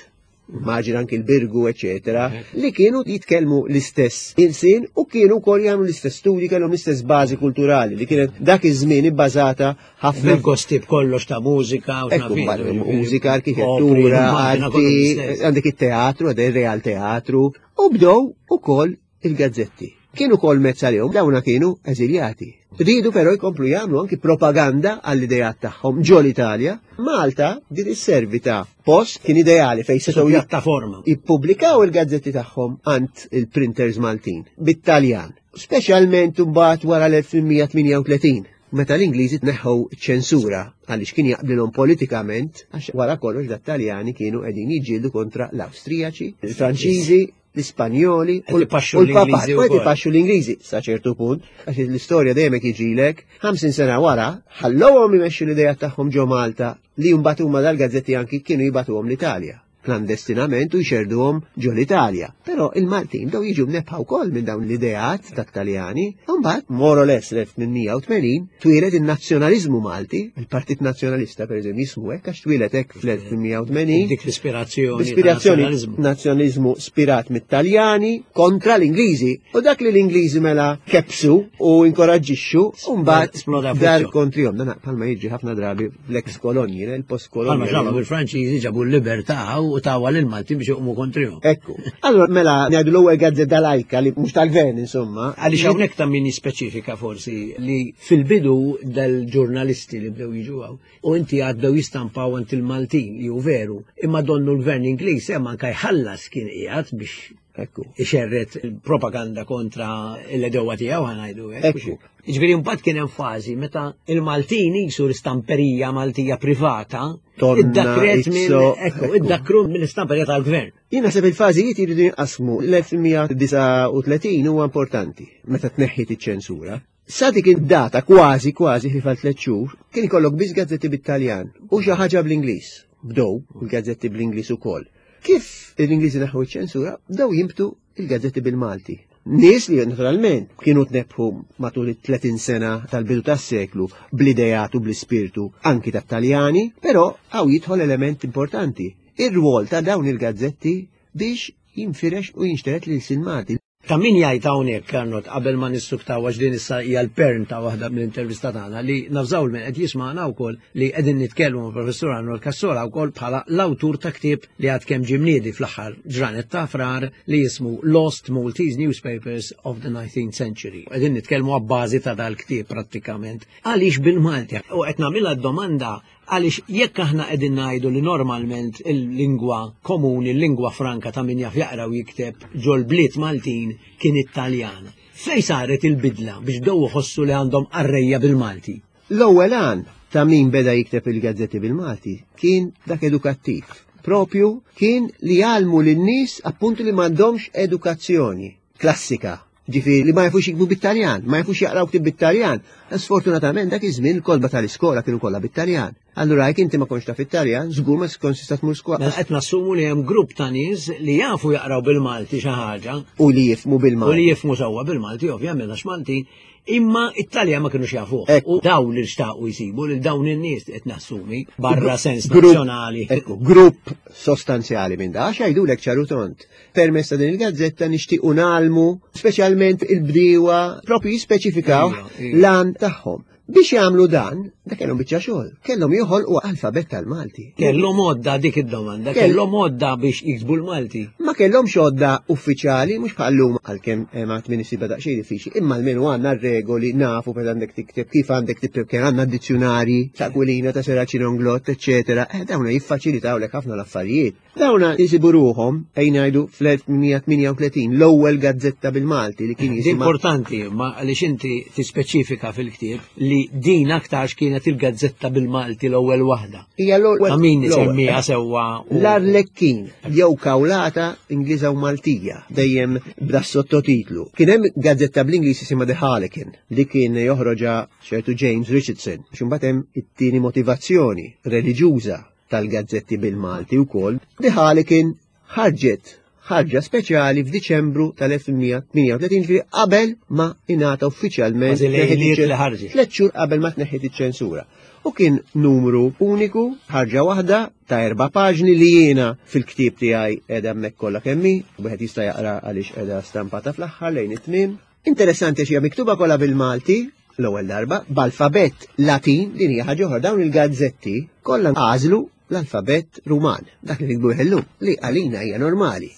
maġin anki l-Birgu, eccetera, li kienu jitkellmu l-istess ilsin u kienu wkoll jagħmlu l-istess studi, kellhom l-istess bażi kulturali li kienet dak iż-żmien ibbażata ħafna Bil-gosti b'kollox ta' mużika u Ekku, x'naf jien, mużika, opri, arkitettura, immagina kollu arti, l-istess. għandek il-teatru, għandek il-Real Teatru, u bdew ukoll il-gazzetti. Kienu kol mezz għalihom, dawna kienu eżiljati. Ridu però jkomplu jagħmlu anki propaganda għall-idejat tagħhom ġol Italja. Malta din isservi ta' post kien ideali fejn setgħu Pjattaforma. jippubblikaw il-gazzetti tagħhom għand il-printers Maltin bit-Taljan. Speċjalment imbagħad wara l-elf tmien mija tmienja u tletin meta l-Ingliżi tneħħu ċensura għaliex kien jaqblilhom politikament, għax wara kollox dat-Taljani kienu qegħdin jiġġieldu kontra l-Awstrijaċi, il-Franċiżi, l-Ispanjoli u l-Papat. U qed ipaxxu l-Ingliżi sa ċertu punt, għax l-istorja dejjem hekk jiġilek, ħamsin sena wara ħallowhom imexxu l-idea tagħhom ġo Malta li mbagħad huma dal-gazzetti anki kienu jibatuhom l-Italja klandestinament u jxerduhom ġo l-Italja. Però il-Maltin bdew jiġu mnebbħa wkoll minn dawn l-ideat ta' Taljani, u mbagħad more or less l-elf tmien mija u tmenin twieled in-nazzjonaliżmu Malti, il-Partit Nazzjonalista pereżempju jismu hekk għax twieled hekk fl-elf tmien mija u tmenin. Dik l-ispirazzjoni. L-ispirazzjoni nazzjonaliżmu spirat mit-Taljani kontra l-Ingliżi. U dak li l-Ingliżi mela kebsu u inkoraġġixxu, u mbagħad dar kontrihom. Dan bħalma jiġri ħafna drabi fl-ex kolonji, il-post kolonji. Bħalma ġrabu bil-Franċiżi, ġabu l-libertà u tawa lil Maltin biex juqmu kontrihom. Ekku. Allora mela ngħidu l-ewwel gazzetta lajka li mhux tal-gvern, insomma. Għaliex hawnhekk ta' min jispeċifika forsi li fil-bidu dal-ġurnalisti li bdew jiġu hawn u inti għaddew jistampaw għand il-Maltin li hu veru, imma donnu l-gvern Ingliż hemm anke jħallas kien qiegħed biex Ekku. ixerret il-propaganda kontra l-għedewwa tiegħu, ħa ngħidu hekk. Ekku. Ġifieri mbagħad kien hemm fażi meta il-Maltin jisu l-istamperija Maltija privata Tonna, iddakret minn Izzo, ekku, ekku. iddakru mill-istamperija tal-gvern. Jien naħseb il-fażijiet jridu jinqasmu. L-elf tmien mija u disgħa u tletin huwa importanti meta tneħħit iċ-ċensura. Sa dik id-data kważi kważi fi tliet xhur kien ikollok biss gazzetti bit-Taljan u xi ħaġa bl-Ingliż. Bdew il-gazzetti bl-Ingliż ukoll. Kif l-Ingliżi neħħu iċ-ċensura, bdew jimbtu il-gazzetti bil-Malti. Nies li naturalment kienu tnebbħu matul it-tletin sena tal-bidu tas-seklu bl-idejat u bl-ispirtu anki tat-Taljani, però hawn jidħol element importanti. Ir-rwol ta' dawn il-gazzetti biex jinfirex u jinxteret l-ilsien Malti. Ta' min jgħid hawnhekk, Arnold, qabel ma nissuktaw, għax din issa hija l-pern ta' waħda mill-intervista tagħna, li navżaw min qed jisma'na wkoll li qegħdin nitkellmu ma' Professur Arnold Cassola wkoll bħala l-awtur ta' ktieb li għad kemm ġie mniedi fl-aħħar ġranet ta' Frar li jismu Lost Maltese Newspapers of the nineteenth Century. Qegħdin nitkellmu għabbażi ta' dal-ktieb prattikament. Għaliex bil-Malti? U qed nagħmilha d-domanda għaliex jekk aħna qegħdin ngħidu li normalment il-lingwa komuni, il-lingwa franka ta' min jaf jaqra u jikteb ġol-bliet Maltin kien Italjan. Fej saret il-bidla biex bdew iħossu li għandhom qarrejja bil-Malti? L-ewwel għan ta' min beda jikteb il-gazzetti bil-Malti kien dak edukattiv. Propju kien li jgħallmu lin-nies appuntu li m'għandhomx edukazzjoni klassika. Ġifieri li ma jafux jiktbu bit-Taljan, ma jafux jaqraw ktib bit-Taljan. Sfortunatament dak iż-żmien il-kotba tal-iskola kienu kollha bit-Taljan. Allura jekk inti ma kontx taf it-Taljan, żgur ma kontx tista' tmur skola. Mela qed nassumu li hemm grupp ta' nies li jafu jaqraw bil-Malti xi ħaġa U li jifhmu u bil-Malti. li jifhmu sewwa bil-Malti, ovvjament għax Malti, imma it-Taljan ma kienux jafuh. Ekku. U dawn li xtaqu jsibu lil dawn in-nies qed nassumi barra sens Grupp- nazzjonali. Ekku, grupp sostanzjali minn da, għax jgħidulek ċar u tond. Permezz ta' din il-gazzetta nixtiequ ngħallmu, speċjalment il-bdiewa, propju jispeċifikaw Ija, ija. l-għan tagħhom. Biex jagħmlu dan, da kellhom biċċa xogħol, kellhom joħolqu alfabett tal-Malti. Kellhom għodda, dik id-domanda, Kell- kellhom għodda biex jiktbu l-Malti. Ma kellhomx għodda uffiċjali, mhux bħallum, għalkemm eh, ma tmin isibha daqsxejn diffiċli, imma almenu għandna regoli, nafu per għandek tikteb, kif għandek tikteb, kien għandna dizzjonari ta' Aquilina, ta' Serracino Inglott, eċetera. Eh, dawna jiffaċilitawlek ħafna l-affarijiet. Dawna jisibu ruhom, ejn ngħidu fl-elf tmien mija u tmienja u tletin, l-ewwel gazzetta bil-Malti li kien Di jisimha importanti, ma għaliex inti tispeċifika fil-ktieb li din aktarx kienet il-gazzetta bil-Malti l-ewwel waħda. Hija l-ewwel. Ta' min l-ewwel. semmiha sewwa u- L-Arlekkin, jew Kawlata Ingliża u Maltija, dejjem bda sottotitlu. Kien hemm gazzetta bl-Ingliż jisimha The Harlequin, li kien joħroġa ċertu James Richardson. Imbagħad hemm it-tieni motivazzjoni reliġjuża tal-gazzetti bil-Malti wkoll. The Harlequin ħarġet ħarġa speċjali f'Diċembru tal-elf tmien mija u tmienja u tletin, ġifieri qabel ma ingħata uffiċjalment Kważi lejliet tneħħiet li ħarġet. tliet xhur qabel ma tneħħiet iċ-ċensura. U kien numru uniku, ħarġa waħda ta' erba' paġni li jiena fil-ktieb tiegħi qiegħda hemmhekk kollha kemm hi, wieħed jista' jaqra għaliex qiegħda stampata fl-aħħar lejn it-tmiem. Interessanti xi hija miktuba kollha bil-Malti l-ewwel darba b'alfabett Latin. Din hija ħaġa oħra, dawn il-gazzetti kollha għażlu l-alfabett Ruman, dak li nikbu illum, li għalina hija normali.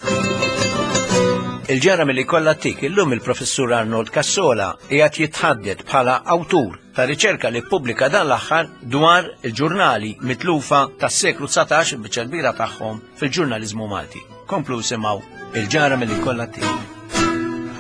Il-ġara milli kollha tik illum, il-professur Arnold Cassola qiegħed jitħaddet bħala awtur ta' riċerka li ppubblika dan l-aħħar dwar il-ġurnali mitlufa tas-seklu dsatax, biċċa kbira tagħhom fil-ġurnaliżmu Malti. Komplu simgħu il-ġara milli kollha tik.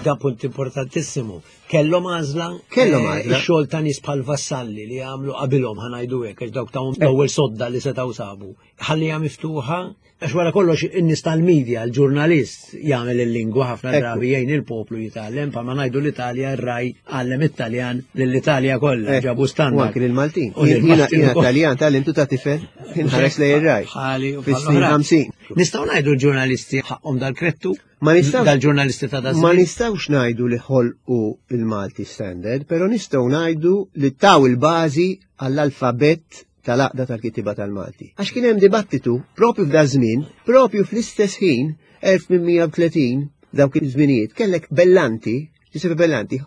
Da punt importantissimu. Kellhom għażla. Kellhom għażla. Ix-xogħol ta' nies bħal Vassalli li għamlu qabilhom, ħa ngħidu hekk, għax dawk ta' l-ewwel sodda li setgħu sabu. Ħallija miftuħa, għax wara kollox in-nies tal-medja, l-ġurnalist jagħmel il-lingwa ħafna drabi jgħin il-poplu jitgħallem, pa ma ngħidu l-Italja, ir-Rai għallem Italjan lill-Italja kollha, ġabu standard. U anke lill-Maltin. Jiena Italjan tgħallimtu ta' tifel inħares lejn ir-Rai. Ħali u fis-snin ħamsin. Nistgħu ngħidu l-ġurnalisti ħaqhom dal-krettu? Ma nistgħux dal-ġurnalisti ta' Ma nistgħux ngħidu li ħolqu il-Malti Standard, però nistgħu ngħidu li taw il-bażi għall-alfabett tal-Għaqda tal-Kittieba tal-Malti. Għax kien hemm dibattitu propju f'da żmien, propju fl-istess ħin, elf tmien mija u tletin, dawk iż-żminijiet, kellek Bellanti, Giuseppe Bellanti,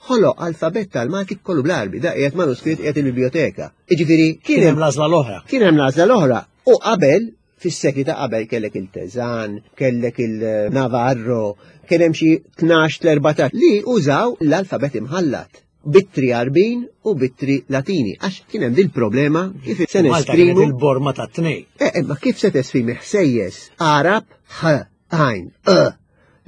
ħoloq alfabett tal-Malti kollu bl-Għarbi, da qiegħed manuskritt qiegħed il-biblioteka. Jiġifieri kien hemm l-għażla l-oħra. Kien hemm l-għażla l-oħra. U qabel, fis-sekli ta' qabel kellek il-Teżan, kellek il-Navarro, kien hemm xi tnax l-erbatax li użaw l-alfabett imħallat. Bittri Għarbin u bittri Latini, għax kien hemm dil-problema kif se nesprimu il-borma ta' tnej. Eh, ma kif se tesprimi ħsejjes Arab, H, għajn, E,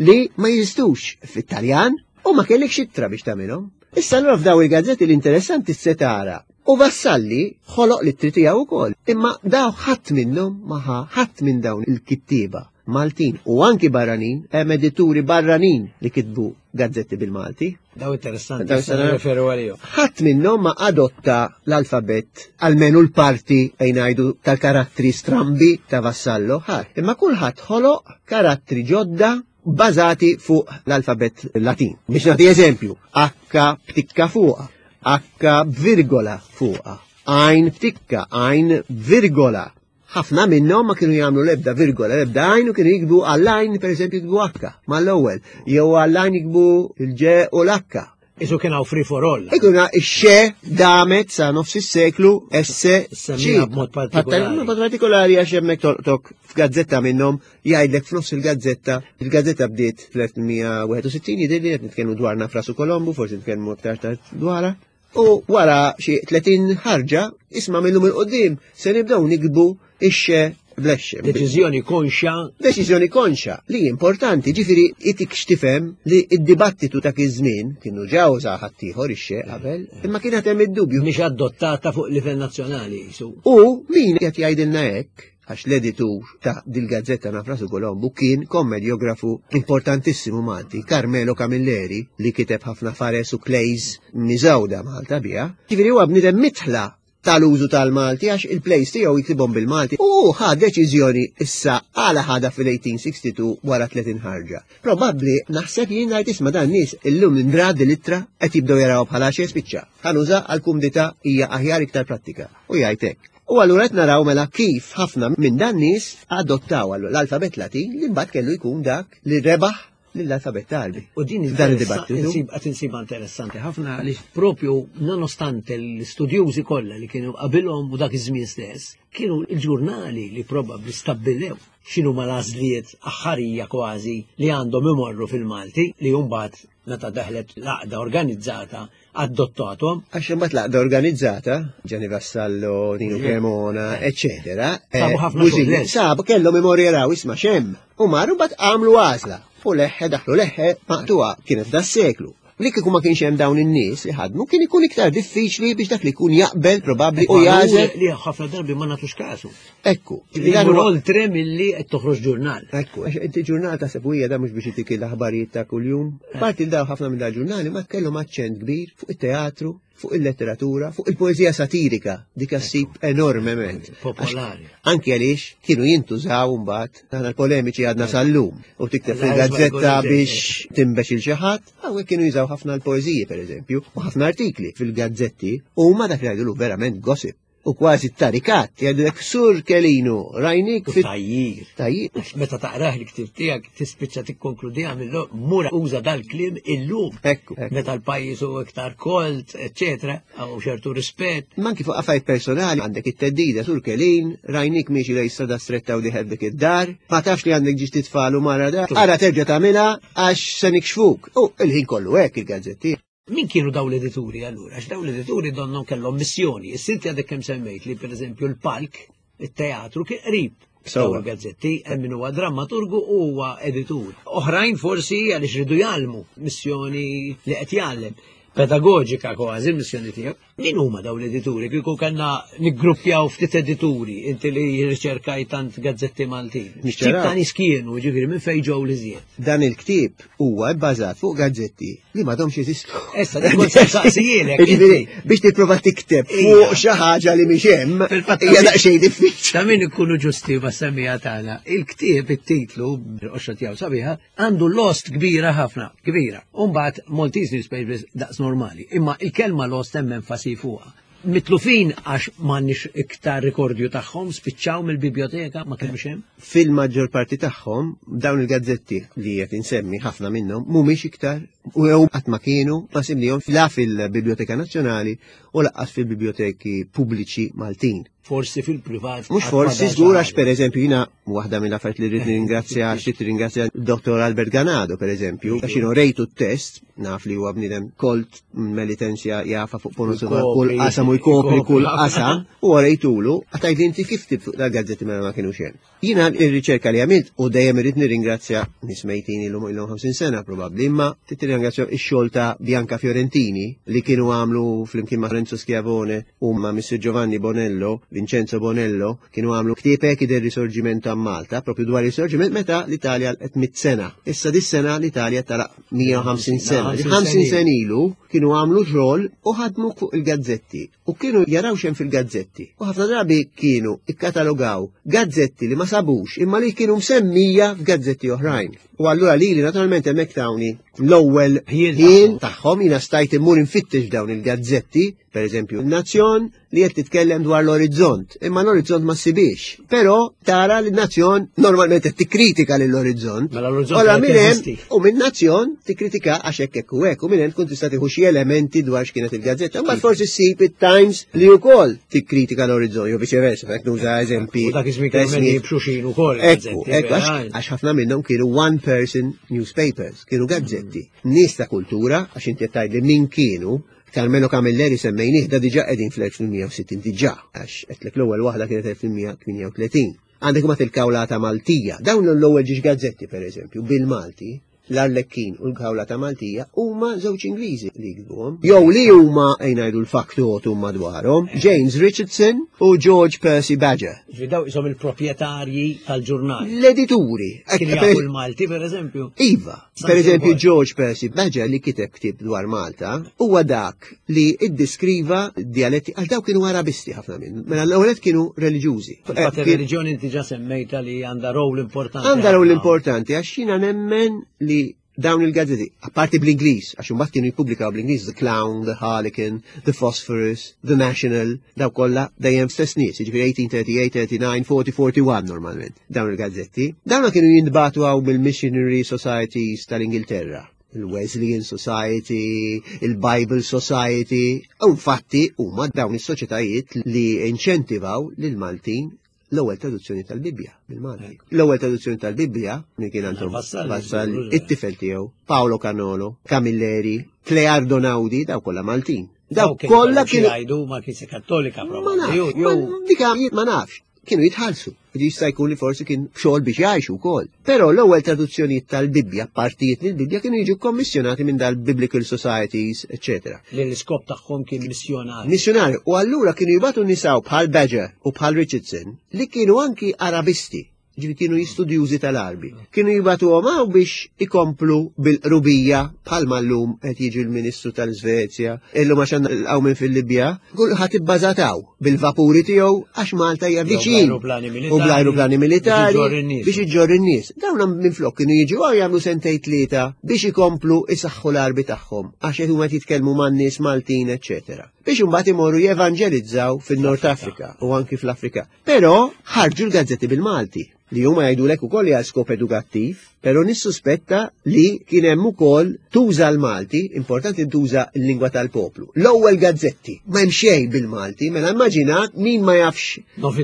li ma jeżistux fit-Taljan u ma kellekx ittra biex tagħmilhom. Issa allura f'daw il-gazzetti l-interessanti se tara. U Vassalli ħoloq l-ittri tiegħu wkoll, imma daw ħadd minnhom ma ħa ħadd minn dawn il-kittieba Maltin u anki barranin, hemm edituri barranin li kitbu gazzetti bil-Malti. Daw interessanti, Daw issa nirreferu għalihom. Ħadd minnhom ma adotta l-alfabett, almenu l-parti fejn ngħidu tal-karattri strambi ta' Vassallo, ħadd. Imma kulħadd ħoloq karattri ġodda bażati fuq l-alfabett Latin. Biex nagħti eżempju, H b'tikka fuqha, H b'virgola fuqha, għajn b'tikka, għajn b'virgola. Ħafna minnhom ma kienu jagħmlu l-ebda virgola, l-ebda għajn, u kienu jiktbu għall-għajn, pereżempju jiktbu H mal-ewwel, jew għall-għajn jiktbu il-G u l-H. Isu kien hawn free for all. Ikuna ix-xe damet sa nofs is-seklu S C. Semmija b'mod partikolari. B'mod partikolari għax hemmhekk tolqtok f'gazzetta minnhom jgħidlek f'nofs il-gazzetta. Il-gazzetta bdiet fl-elf tmien mija wieħed u sittin, jidher li qed nitkellmu dwar Nafrasu Kolombu, forsi nitkellmu aktar tard dwarha. U wara xi tletin ħarġa, isma' minnhom il-qudiem se nibdew nikbu ix-xe blexxe. Deċiżjoni konxa. Deċiżjoni konxa li importanti, ġifieri itik x'tifhem li d-dibattitu ta' iż-żmien kienu ġew uża ħaddieħor ix-xe qabel, imma kien qed hemm id-dubju. Mhix adottata fuq livell nazzjonali, jisu. U min qed jgħidilna hekk, għax l-editur ta' dil-gazzetta Nafrasu Kolombu kien kommedjografu importantissimu Malti, Carmelo Camilleri, li kiteb ħafna fares u plays miżawda Malta biha. Ġifieri huwa bniedem mitħla tal-użu tal-Malti għax il-plays tiegħu jiktibhom bil-Malti. U ħa deċiżjoni issa għala ħada fil-eighteen sixty-two wara tletin ħarġa. Probabbli naħseb jien ngħid isma' dan nies illum indrad l-ittra qed jibdew jaraw bħala xi spiċċa. Ħanuża għall-kumdità hija aħjar iktar prattika. U jgħid hekk. U allura qed naraw mela kif ħafna minn dan nies adottaw l-alfabett Latin li mbagħad kellu jkun dak li rebaħ lill-alfabett Għarbi. U din Dan interessa- id-dibattitu. insib-, qed insibha interessanti ħafna għaliex propju nonostante l-istudjużi kollha li kienu qabilhom u dak iż-żmien stess, kienu l-ġurnali li probabbli stabbilew x'inhu ma l-għażliet aħħarija kważi li għandhom imorru fil-Malti li mbagħad meta daħlet l-għaqda organizzata adottatom. Għax imbagħad l-għaqda organizzata, Gianni Vassallo, Nino Cremona, eccetera, Sabu eh, ħafna Bużini, xogħol, eh. sabu kellhom imorru jaraw isma' xemm. U marru mbagħad għamlu għażla. U leħħe daħlu leħħe maqtuha kienet da seklu. Li kieku ma kienx hemm dawn in-nies li ħadmu kien ikun iktar diffiċli biex dak li jkun jaqbel probabbli u Ekku, jażel. Li ħafna darbi ma nagħtux kasu. Ekku, Li dan jmur huwa oltre milli qed toħroġ ġurnal. Ekku, għax inti ġurnal ta' sebwija da mhux biex itik l-aħbarijiet ta' kuljum. Parti l daw ħafna minn dal-ġurnali ma kellhom aċċent kbir fuq it-teatru, fuq il-letteratura, fuq il-poeżija satirika, dik ssib enormement. Popolari. Għax anki għaliex kienu jintużaw mbagħad, aħna l-polemiċi għadna sal-lum, u tikteb fil-gazzetta biex timbex il xi ħadd, hawnhekk kienu jużaw ħafna l-poeżiji pereżempju, u ħafna artikli fil-gazzetti, u huma dak li jgħidu verament gossip. U kważi tarikat, jgħidulek Sur Kelinu, rajnik fit- Tajjir. Tajjir. Għax meta taqrah l-ktib tiegħek tispiċċa tikkonkludiha mill-lum, mura uża dal-kliem illum. Ekku, ekku. Meta l-pajjiż hu iktar kolt, eċetera, u ċertu rispett. Ma anki fuq affarijiet personali għandek it-teddida Sur Kelin, rajnik miexi lej strada stretta u diħed dik id-dar, ma tafx li għandek ġiex titfal u mara dar, ara terġa' tagħmilha għax se nikxfuk. U il-ħin kollu hekk il-gazzetti. Min kienu daw l-edituri allura? Għax daw l-edituri donnhom kellhom missjoni. Is-sinti għadek kemm semmejt li pereżempju l-palk, it-teatru kien qrib Dawn il-gazzetti, hemm min huwa drammaturgu u huwa editur. Oħrajn forsi għaliex ridu jgħallmu, missjoni li qed jgħallem. Pedagogika kważi il-missjoni tiegħek. Min huma dawn l-edituri? Kieku kellna niggruppjaw ftit edituri, inti li riċerkaj tant gazzetti Maltin. X'tip ta' nies kienu, ġifieri minn fejn ġew li żjed? Dan il-ktieb huwa bbażat fuq gazzetti li m'għadhomx jeżistu. Issa dik kont saqsijielek. Ġifieri biex tipprova tikteb fuq xi ħaġa li mhix hemm hija daqsxejn diffiċli. Ta' min ikunu ġusti ma' semmija tagħna. Il-ktieb it-titlu qoxra tiegħu sabiħa għandu lost kbira ħafna, kbira. U mbagħad Maltese newspapers daqs normali. Imma il-kelma lost hemm enfasi fuqha. Mitlufin għax m'għandniex iktar rikordju tagħhom, spiċċaw mill-biblioteka, ma kienux hemm. Fil-maġġor parti tagħhom dawn il-gazzetti li qed insemmi ħafna minnhom mhumiex iktar u jew qatt ma kienu ma simlihom la fil-Biblioteka Nazzjonali u lanqas fil-biblioteki pubbliċi Maltin. Forsi fil-privat. Mhux forsi, żgur, għax pereżempju jiena waħda mill-affarijiet li rrid nirringrazzja, xi tirringrazzja Dottor Albert Ganado pereżempju, għax jiena rejtu t-test, naf li huwa bniedem kolt melitensja jafa fuq ponosu kull qasam u jkopri kull qasam, u rejtulu, għatajt inti kif tib fuq dal-gazzetti mela ma kienu xejn. Jiena r-riċerka li għamilt u dejjem irrid nirringrazzja nies mejtin ilhom ilhom ħamsin sena probabbli, imma tirringrazzja x-xogħol ta' Bianca Fiorentini li kienu għamlu flimkien ma' Renzo Schiavone u ma' Missir Giovanni Bonello, Vincenzo Bonello, kienu għamlu ktieb Echi del Risorgimento a Malta, proprio dwar il-Risorgiment meta l-Italja qed mitt sena. Issa dis-sena l-Italja tara mija u ħamsin sena. ħamsin sena ilu kienu għamlu xogħol u ħadmu fuq il-gazzetti u kienu jaraw xem fil-gazzetti. U ħafna drabi kienu ikkatalogaw gazzetti li ma sabux imma li kienu msemmija f'gazzetti oħrajn. U allura li li naturalment hemmhekk tawni l-ewwel ħin tagħhom jiena stajt immur infittex dawn il-gazzetti, pereżempju n-Nazzjon li qed titkellem dwar l-Orizzont, imma l-Orizzont ma ssibix. Però tara li n-Nazzjon normalment qed tikkritika lill-Orizzont. Mela l-Orizzont Ora qed minn hemm jeżisti. u minn Nazzjon tikkritika għax hekk hekk u hekk, u minn hemm tkun tista' tieħu xi elementi dwar x'kienet il-gazzetta. Imbagħad forsi ssib it-Times li wkoll tikkritika l-Orizzont, jew viċeversa, hekk nuża eżempi. U dak iż-żmien kienu Esmi. jibxu xin ukoll Ekku, gazzetti, ekku, għax verament. għax ħafna minnhom kienu one person newspapers, kienu gazzetti. Nies ta' kultura, għax inti qed tgħidli min kienu, Carmelo Camilleri semmejnih da diġà qegħdin fl-elf tmien mija u sittin diġà, għax qedlek l-ewwel waħda kienet elf tmien mija tmienja u tletin. Għandek ma il-Kawlata Maltija, dawn l-ewwel ġiex gazzetti pereżempju bil-Malti, l-Arlekkin u l-Kawlata Maltija huma żewġ Ingliżi li jiktbuhom. Jew li huma ngħidu l-faktotum madwarhom, James Richardson u George Percy Badger. Ġifieri daw isom il-proprjetarji tal-ġurnal. L-edituri. Kienu Ek, per jafu l-Malti pereżempju. Iva, San per eżempju Ġorġ. George Percy Badger li kiteb ktieb dwar Malta, huwa dak li iddeskriva dialetti, għax daw kienu Arabisti ħafna minn, mela l-ewwel kienu reliġjużi. Fil-fatt Eh, kien- ir-reliġjoni inti ġa semmejta li għandha rol importanti. Għandha rol ħafna. importanti għax jiena nemmen li dawn il-gazzetti, apparti bl-Ingliż, għax imbagħad kienu jippubblikaw bl-Ingliż The Clown, The Harlequin, The Phosphorus, The National, daw kollha dejjem stess nies, jiġifieri eighteen thirty-eight, thirty-nine, forty, forty-one normalment, dawn il-gazzetti. Dawn kienu jintbagħtu hawn mill-Missionary Societies tal-Ingilterra, il-Wesleyan Society, il-Bible Society, u infatti huma dawn is-soċjetajiet li inċentivaw lil Maltin l-ewwel traduzzjoni tal-Bibbja bil-Malti. L-ewwel traduzzjoni tal-Bibbja min kien Anton Vassalli, Vassalli, żgur. it-tifel tiegħu, Paolo Canolo, Camilleri, Cleardo Naudi, daw kollha Maltin. Daw Daw kienu kollha xi kienu jgħidu ma kienx Kattolika Ma probabbli. nafx, Jew- ma jew dika ma nafx. Kienu jitħallsu. Jista' jkun li forsi kien xogħol biex jgħixu wkoll. Però l-ewwel traduzzjonijiet tal-Bibbja, partijiet mill-Bibbja kienu jiġu kommissjonati minn dal-Biblical Societies, eċċetera. Li l-iskop tagħhom kien missjonarju. Missjonarju. U allura kienu jibatu nisaw bħal Badger u bħal Richardson li kienu anki Arabisti, ġifieri kienu jistudjużi tal-Arbi. Kienu jibatu għomaw biex ikomplu bil-qrubija bħal llum qed jiġi l-Ministru tal-Svezja, illum għax għandna l-qawmien fil-Libja, kulħadd ibbażataw bil-vapuri tiegħu għax Malta hija Jew viċin. bl-ajruplani militari. U bl-ajruplani militari Biex iġorr in-nies. biex iġorr in-nies. Dawn minflok kienu jiġu għaw jagħmlu sentejn tlieta biex ikomplu isaħħu l-Arbi tagħhom għax qed huma jitkellmu man-nies Maltin, eċċetera. Biex imbagħad imorru jevanġelizzaw fin-Nord Afrika u anki fl-Afrika. Però ħarġu l-gazzetti bil-Malti li huma jgħidulek ukoll li għal skop edukattiv, però nissuspetta li kien hemm ukoll tuża l-Malti, importanti tuża l-lingwa tal-poplu. L-ewwel gazzetti ma hemm xejn bil-Malti, mela immaġina Immaġina min ma jafx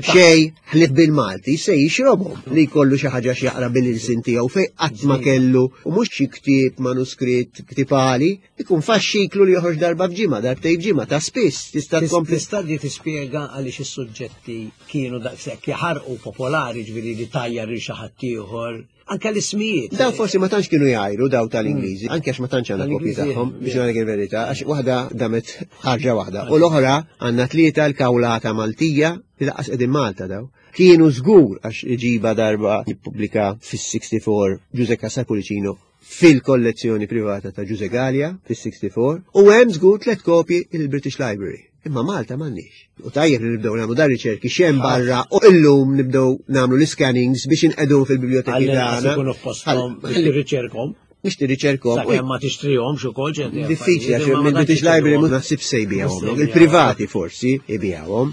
xej ħlief bil-Malti se jixrobhom li jkollu xi ħaġa x'jaqra bil-ilsien tiegħu fejn qatt ma kellu u mhux xi ktieb manuskritt ktibali, ikun faxxiklu li joħroġ darba f'ġimgħa, darbtejn f'ġimgħa ta' spiss tista' tkompli. Tista' tispjega għaliex is-suġġetti kienu daqshekk jaħarqu popolari, ġifieri li tajjar lil xi ħadd ieħor. Anke l-ismijiet. Daw forsi ma tantx kienu jgħajru daw tal-Ingliżi, anke għax ma tantx għandna kopji tagħhom biex ngħidlek il-verità, għax waħda damet ħarġa waħda. U l-oħra għandna tlieta l-kawlata Maltija li laqqas qegħdin Malta daw. Kienu żgur għax iġiba darba jippubblika fis-sixty-four Ġuże Cassar Pullicino fil-kollezzjoni privata ta' Ġuże Gallia fis-sixty-four u hemm żgur tliet kopji il-British Library. Imma Malta m'għandniex. U tajjeb li nibdew nagħmlu dar riċerki x'hemm barra u illum nibdew nagħmlu l-scannings biex inqedu fil-biblioteki tagħna. Ikunu f'posthom biex tirriċerkhom. Biex tirriċerkhom. Sakemm ma tixtrihomx ukoll ċerti. Diffiċli għax mill-British Library mhux naħsib se jbijahom. Il-privati forsi jbijahom.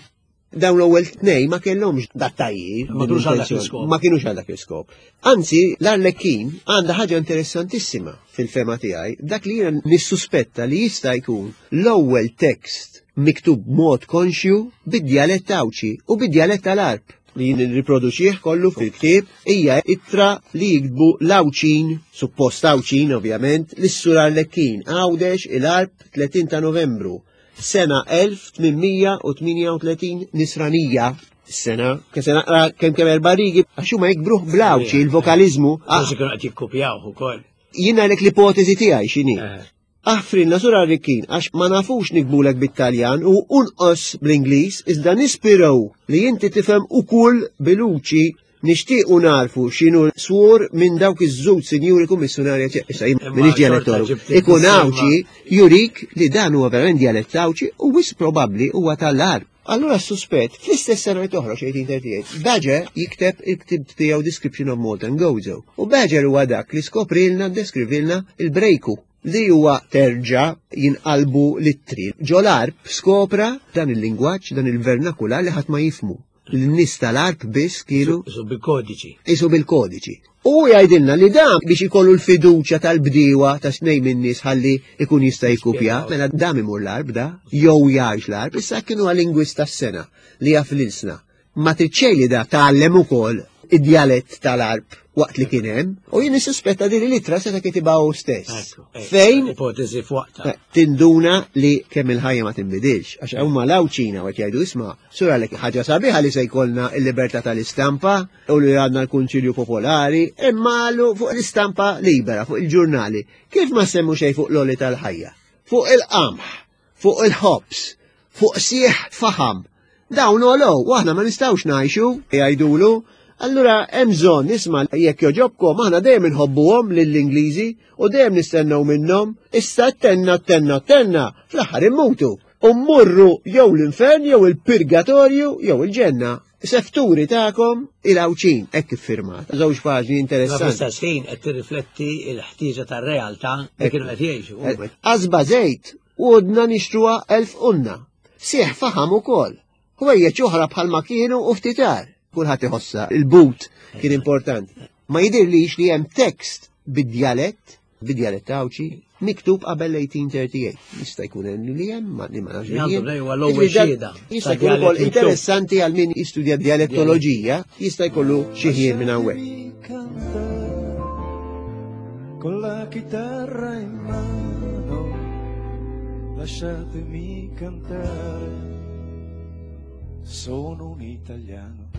Dawn l-ewwel tnejn ma kellhomx dat-tajjir. Ma kinux għal dak l-iskop. Ma kinux għal dak l-iskop. Anzi, l-Arlecchino għandha ħaġa interessantissima fil-fema tiegħi, dak li jiena nissuspetta li jista' jkun l-ewwel tekst miktub mod konxju bid-djalett Għawdxi u bid-djalett tal-Għarb li jien nirriproduċih kollu fil-ktieb, hija ittra li jiktbu l-Għawdxin, suppost Għawdxin ovvjament, lis-Sur Arlecchino, Għawdex il-Għarb tletin ta' Novembru, sena elf tmien u tmienja u tletin nisranija. Sena, ke se naqra kemm kemm erba' rigi, għax huma jikbruh bl-Għawdxi, il-vokaliżmu. Forsi kienu qed jikkupjawh ukoll. Jien ngħidlek l-ipotezi tiegħi x'inhi. Aħfrinna Sur Arlecchino għax ma nafux nikbulek bit-Taljan u unqos bl-Ingliż, iżda nispiraw li inti tifhem ukoll bil-Uċi nixtiequ narfu x'inhu swor minn dawk iż-żewġ sinjuri kummissjonarja ċe-, issa jien Imma m'iniex xorta dialettologu. ġibt Ikun il-sistema. Għawdxi jurik li dan huwa verament dialett Għawdxi u wis probabbli huwa tal-Għarb. Allura s-suspett, fl-istess sena li toħroġ eighteen thirty-eight, Badger jikteb il-ktib tiegħu Description of Malta and Gozo. U Badger huwa dak li skoprilna, deskrivilna il-brejku li huwa terġa' jinqalbu l-ittri. Ġol-Għarb skopra dan il-lingwaġġ, dan il-vernakular li ħadd ma jifmu. L-nies tal-Għarb biss kienu Isu bil-kodiċi. Isu bil-kodiċi. U jgħidilna li dan biex ikollu l-fiduċja tal-bdiewa ta' snejn minn nies ħalli ikun jista' jikkupja, mela dam imur l-Għarb da, jew jgħix l-Għarb, issa kienu għal-lingwista s-sena li jaf l-ilsna. Ma tridx li da tgħallem ukoll id-djalett tal-Għarb waqt li kien hemm, u jien nissuspetta din l-ittra seta' kitibha hu stess. Ekku, ekku, Fejn ipotezi f'waqtha. Eh, tinduna li kemm il-ħajja ma tinbidilx, għax huma l-Għawdxina qed jgħidu isma' sura lek ħaġa sabiħa li se jkollna l-libertà tal-istampa u li għandna l-Kunċilju Popolari, imma għalu fuq l-istampa libera, fuq il-ġurnali. Kif ma semmu xejn fuq l-oli tal-ħajja? Fuq il-qamħ, fuq il-ħobs, fuq sieħ faħam. Dawn għolow, u aħna ma nistgħux ngħixu, jgħidulu. Allura hemm bżonn nisma' jekk joġobkom aħna dejjem inħobbuhom lill-Ingliżi u dejjem nistennew minnhom, issa tenna tenna tenna fl-aħħar immutu. U mmurru jew l-infern jew il-purgatorju jew il-ġenna. Sefturi tagħkom il-Għawdxin, hekk iffirmat. Żewġ paġni interessanti. Ma fl-istess ħin qed tirrifletti l-ħtieġa tar-realtà li kienu qed jgħixu. Qasba żejt u għodna nixtruha elf unna. Sieħ faħam ukoll. Ħwejjeġ oħra bħalma kienu u ftitar. Kulħadd iħossha, il-but kien importanti. Ma jidirlix li hemm tekst bid-djalett, bid-djalett Għawdxi, miktub qabel eighteen thirty-eight. Jista' jkun hemm li hemm, ma li ma nafx li Għandu hemm. lej huwa l-ewwel Jiġifieri dan xhieda jista' ta' jkun ukoll djalett miktub. interessanti għal min jistudja djalettoloġija, jista' jkollu xi ħin minn hawnhekk. Con la chitarra in mano, lasciatemi cantare, sono un italiano.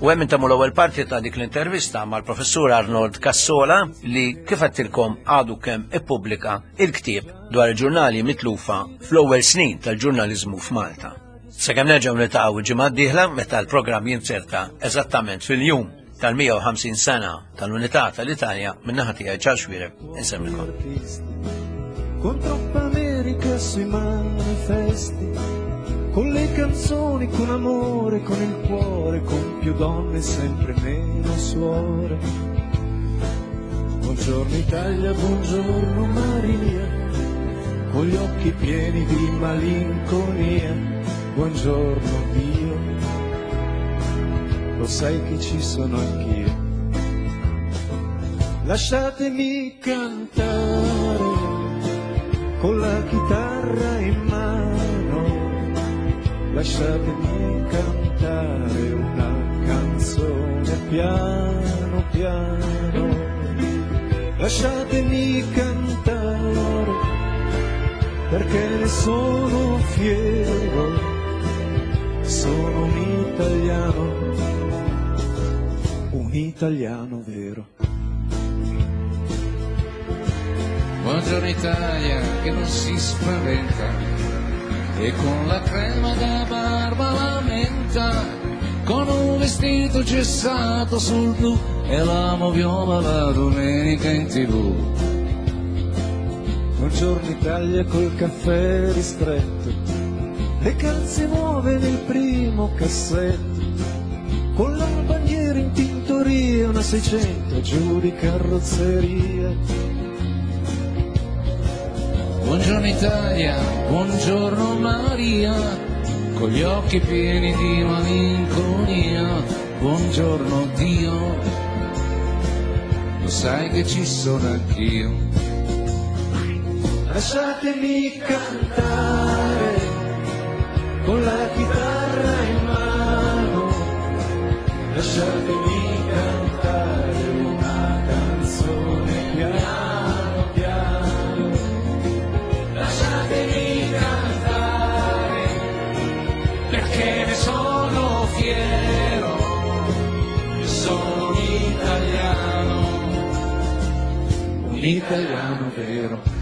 U hemm intemmu l-ewwel parti ta' dik l-intervista mal-professur Arnold Cassola li kif għedtilkom għadu kemm ippubblika il-ktieb dwar il-ġurnali mitlufa fl-ewwel snin tal-ġurnaliżmu f'Malta. Sakemm nerġgħu niltaqgħu il-ġimgħa d-dieħla meta l-programm jinzerta eżattament fil-jum tal-mija u ħamsin sena tal-Unità tal-Italja min-naħa tiegħi Charles Xuereb insemmilkom. Con troppa America sui manifesti, con le canzoni, con amore, con il cuore, con più donne, sempre meno suore. Buongiorno Italia, buongiorno Maria, con gli occhi pieni di malinconia. Buongiorno Dio, lo sai che ci sono anch'io. Lasciatemi cantare con la chitarra in mano, Lasciatemi cantare una canzone piano piano, lasciatemi cantare perché ne sono fiero, sono un italiano, un italiano vero. Buongiorno Italia che non si spaventa e con la crema da barba la menta, con un vestito gessato sul blu e la moviola la domenica in tivù. Buongiorno Italia col caffè ristretto, le calze nuove nel primo cassetto, con la bandiera in tintoria, una seicento giù di carrozzeria. Buongiorno Italia, buongiorno Maria, con gli occhi pieni di malinconia. Buongiorno Dio, lo sai che ci sono anch'io. Lasciatemi cantare con la chitarra in mano, lasciatemi cantare una canzone piano piano, lasciatemi cantare perché ne sono fiero, io sono un italiano, un italiano vero.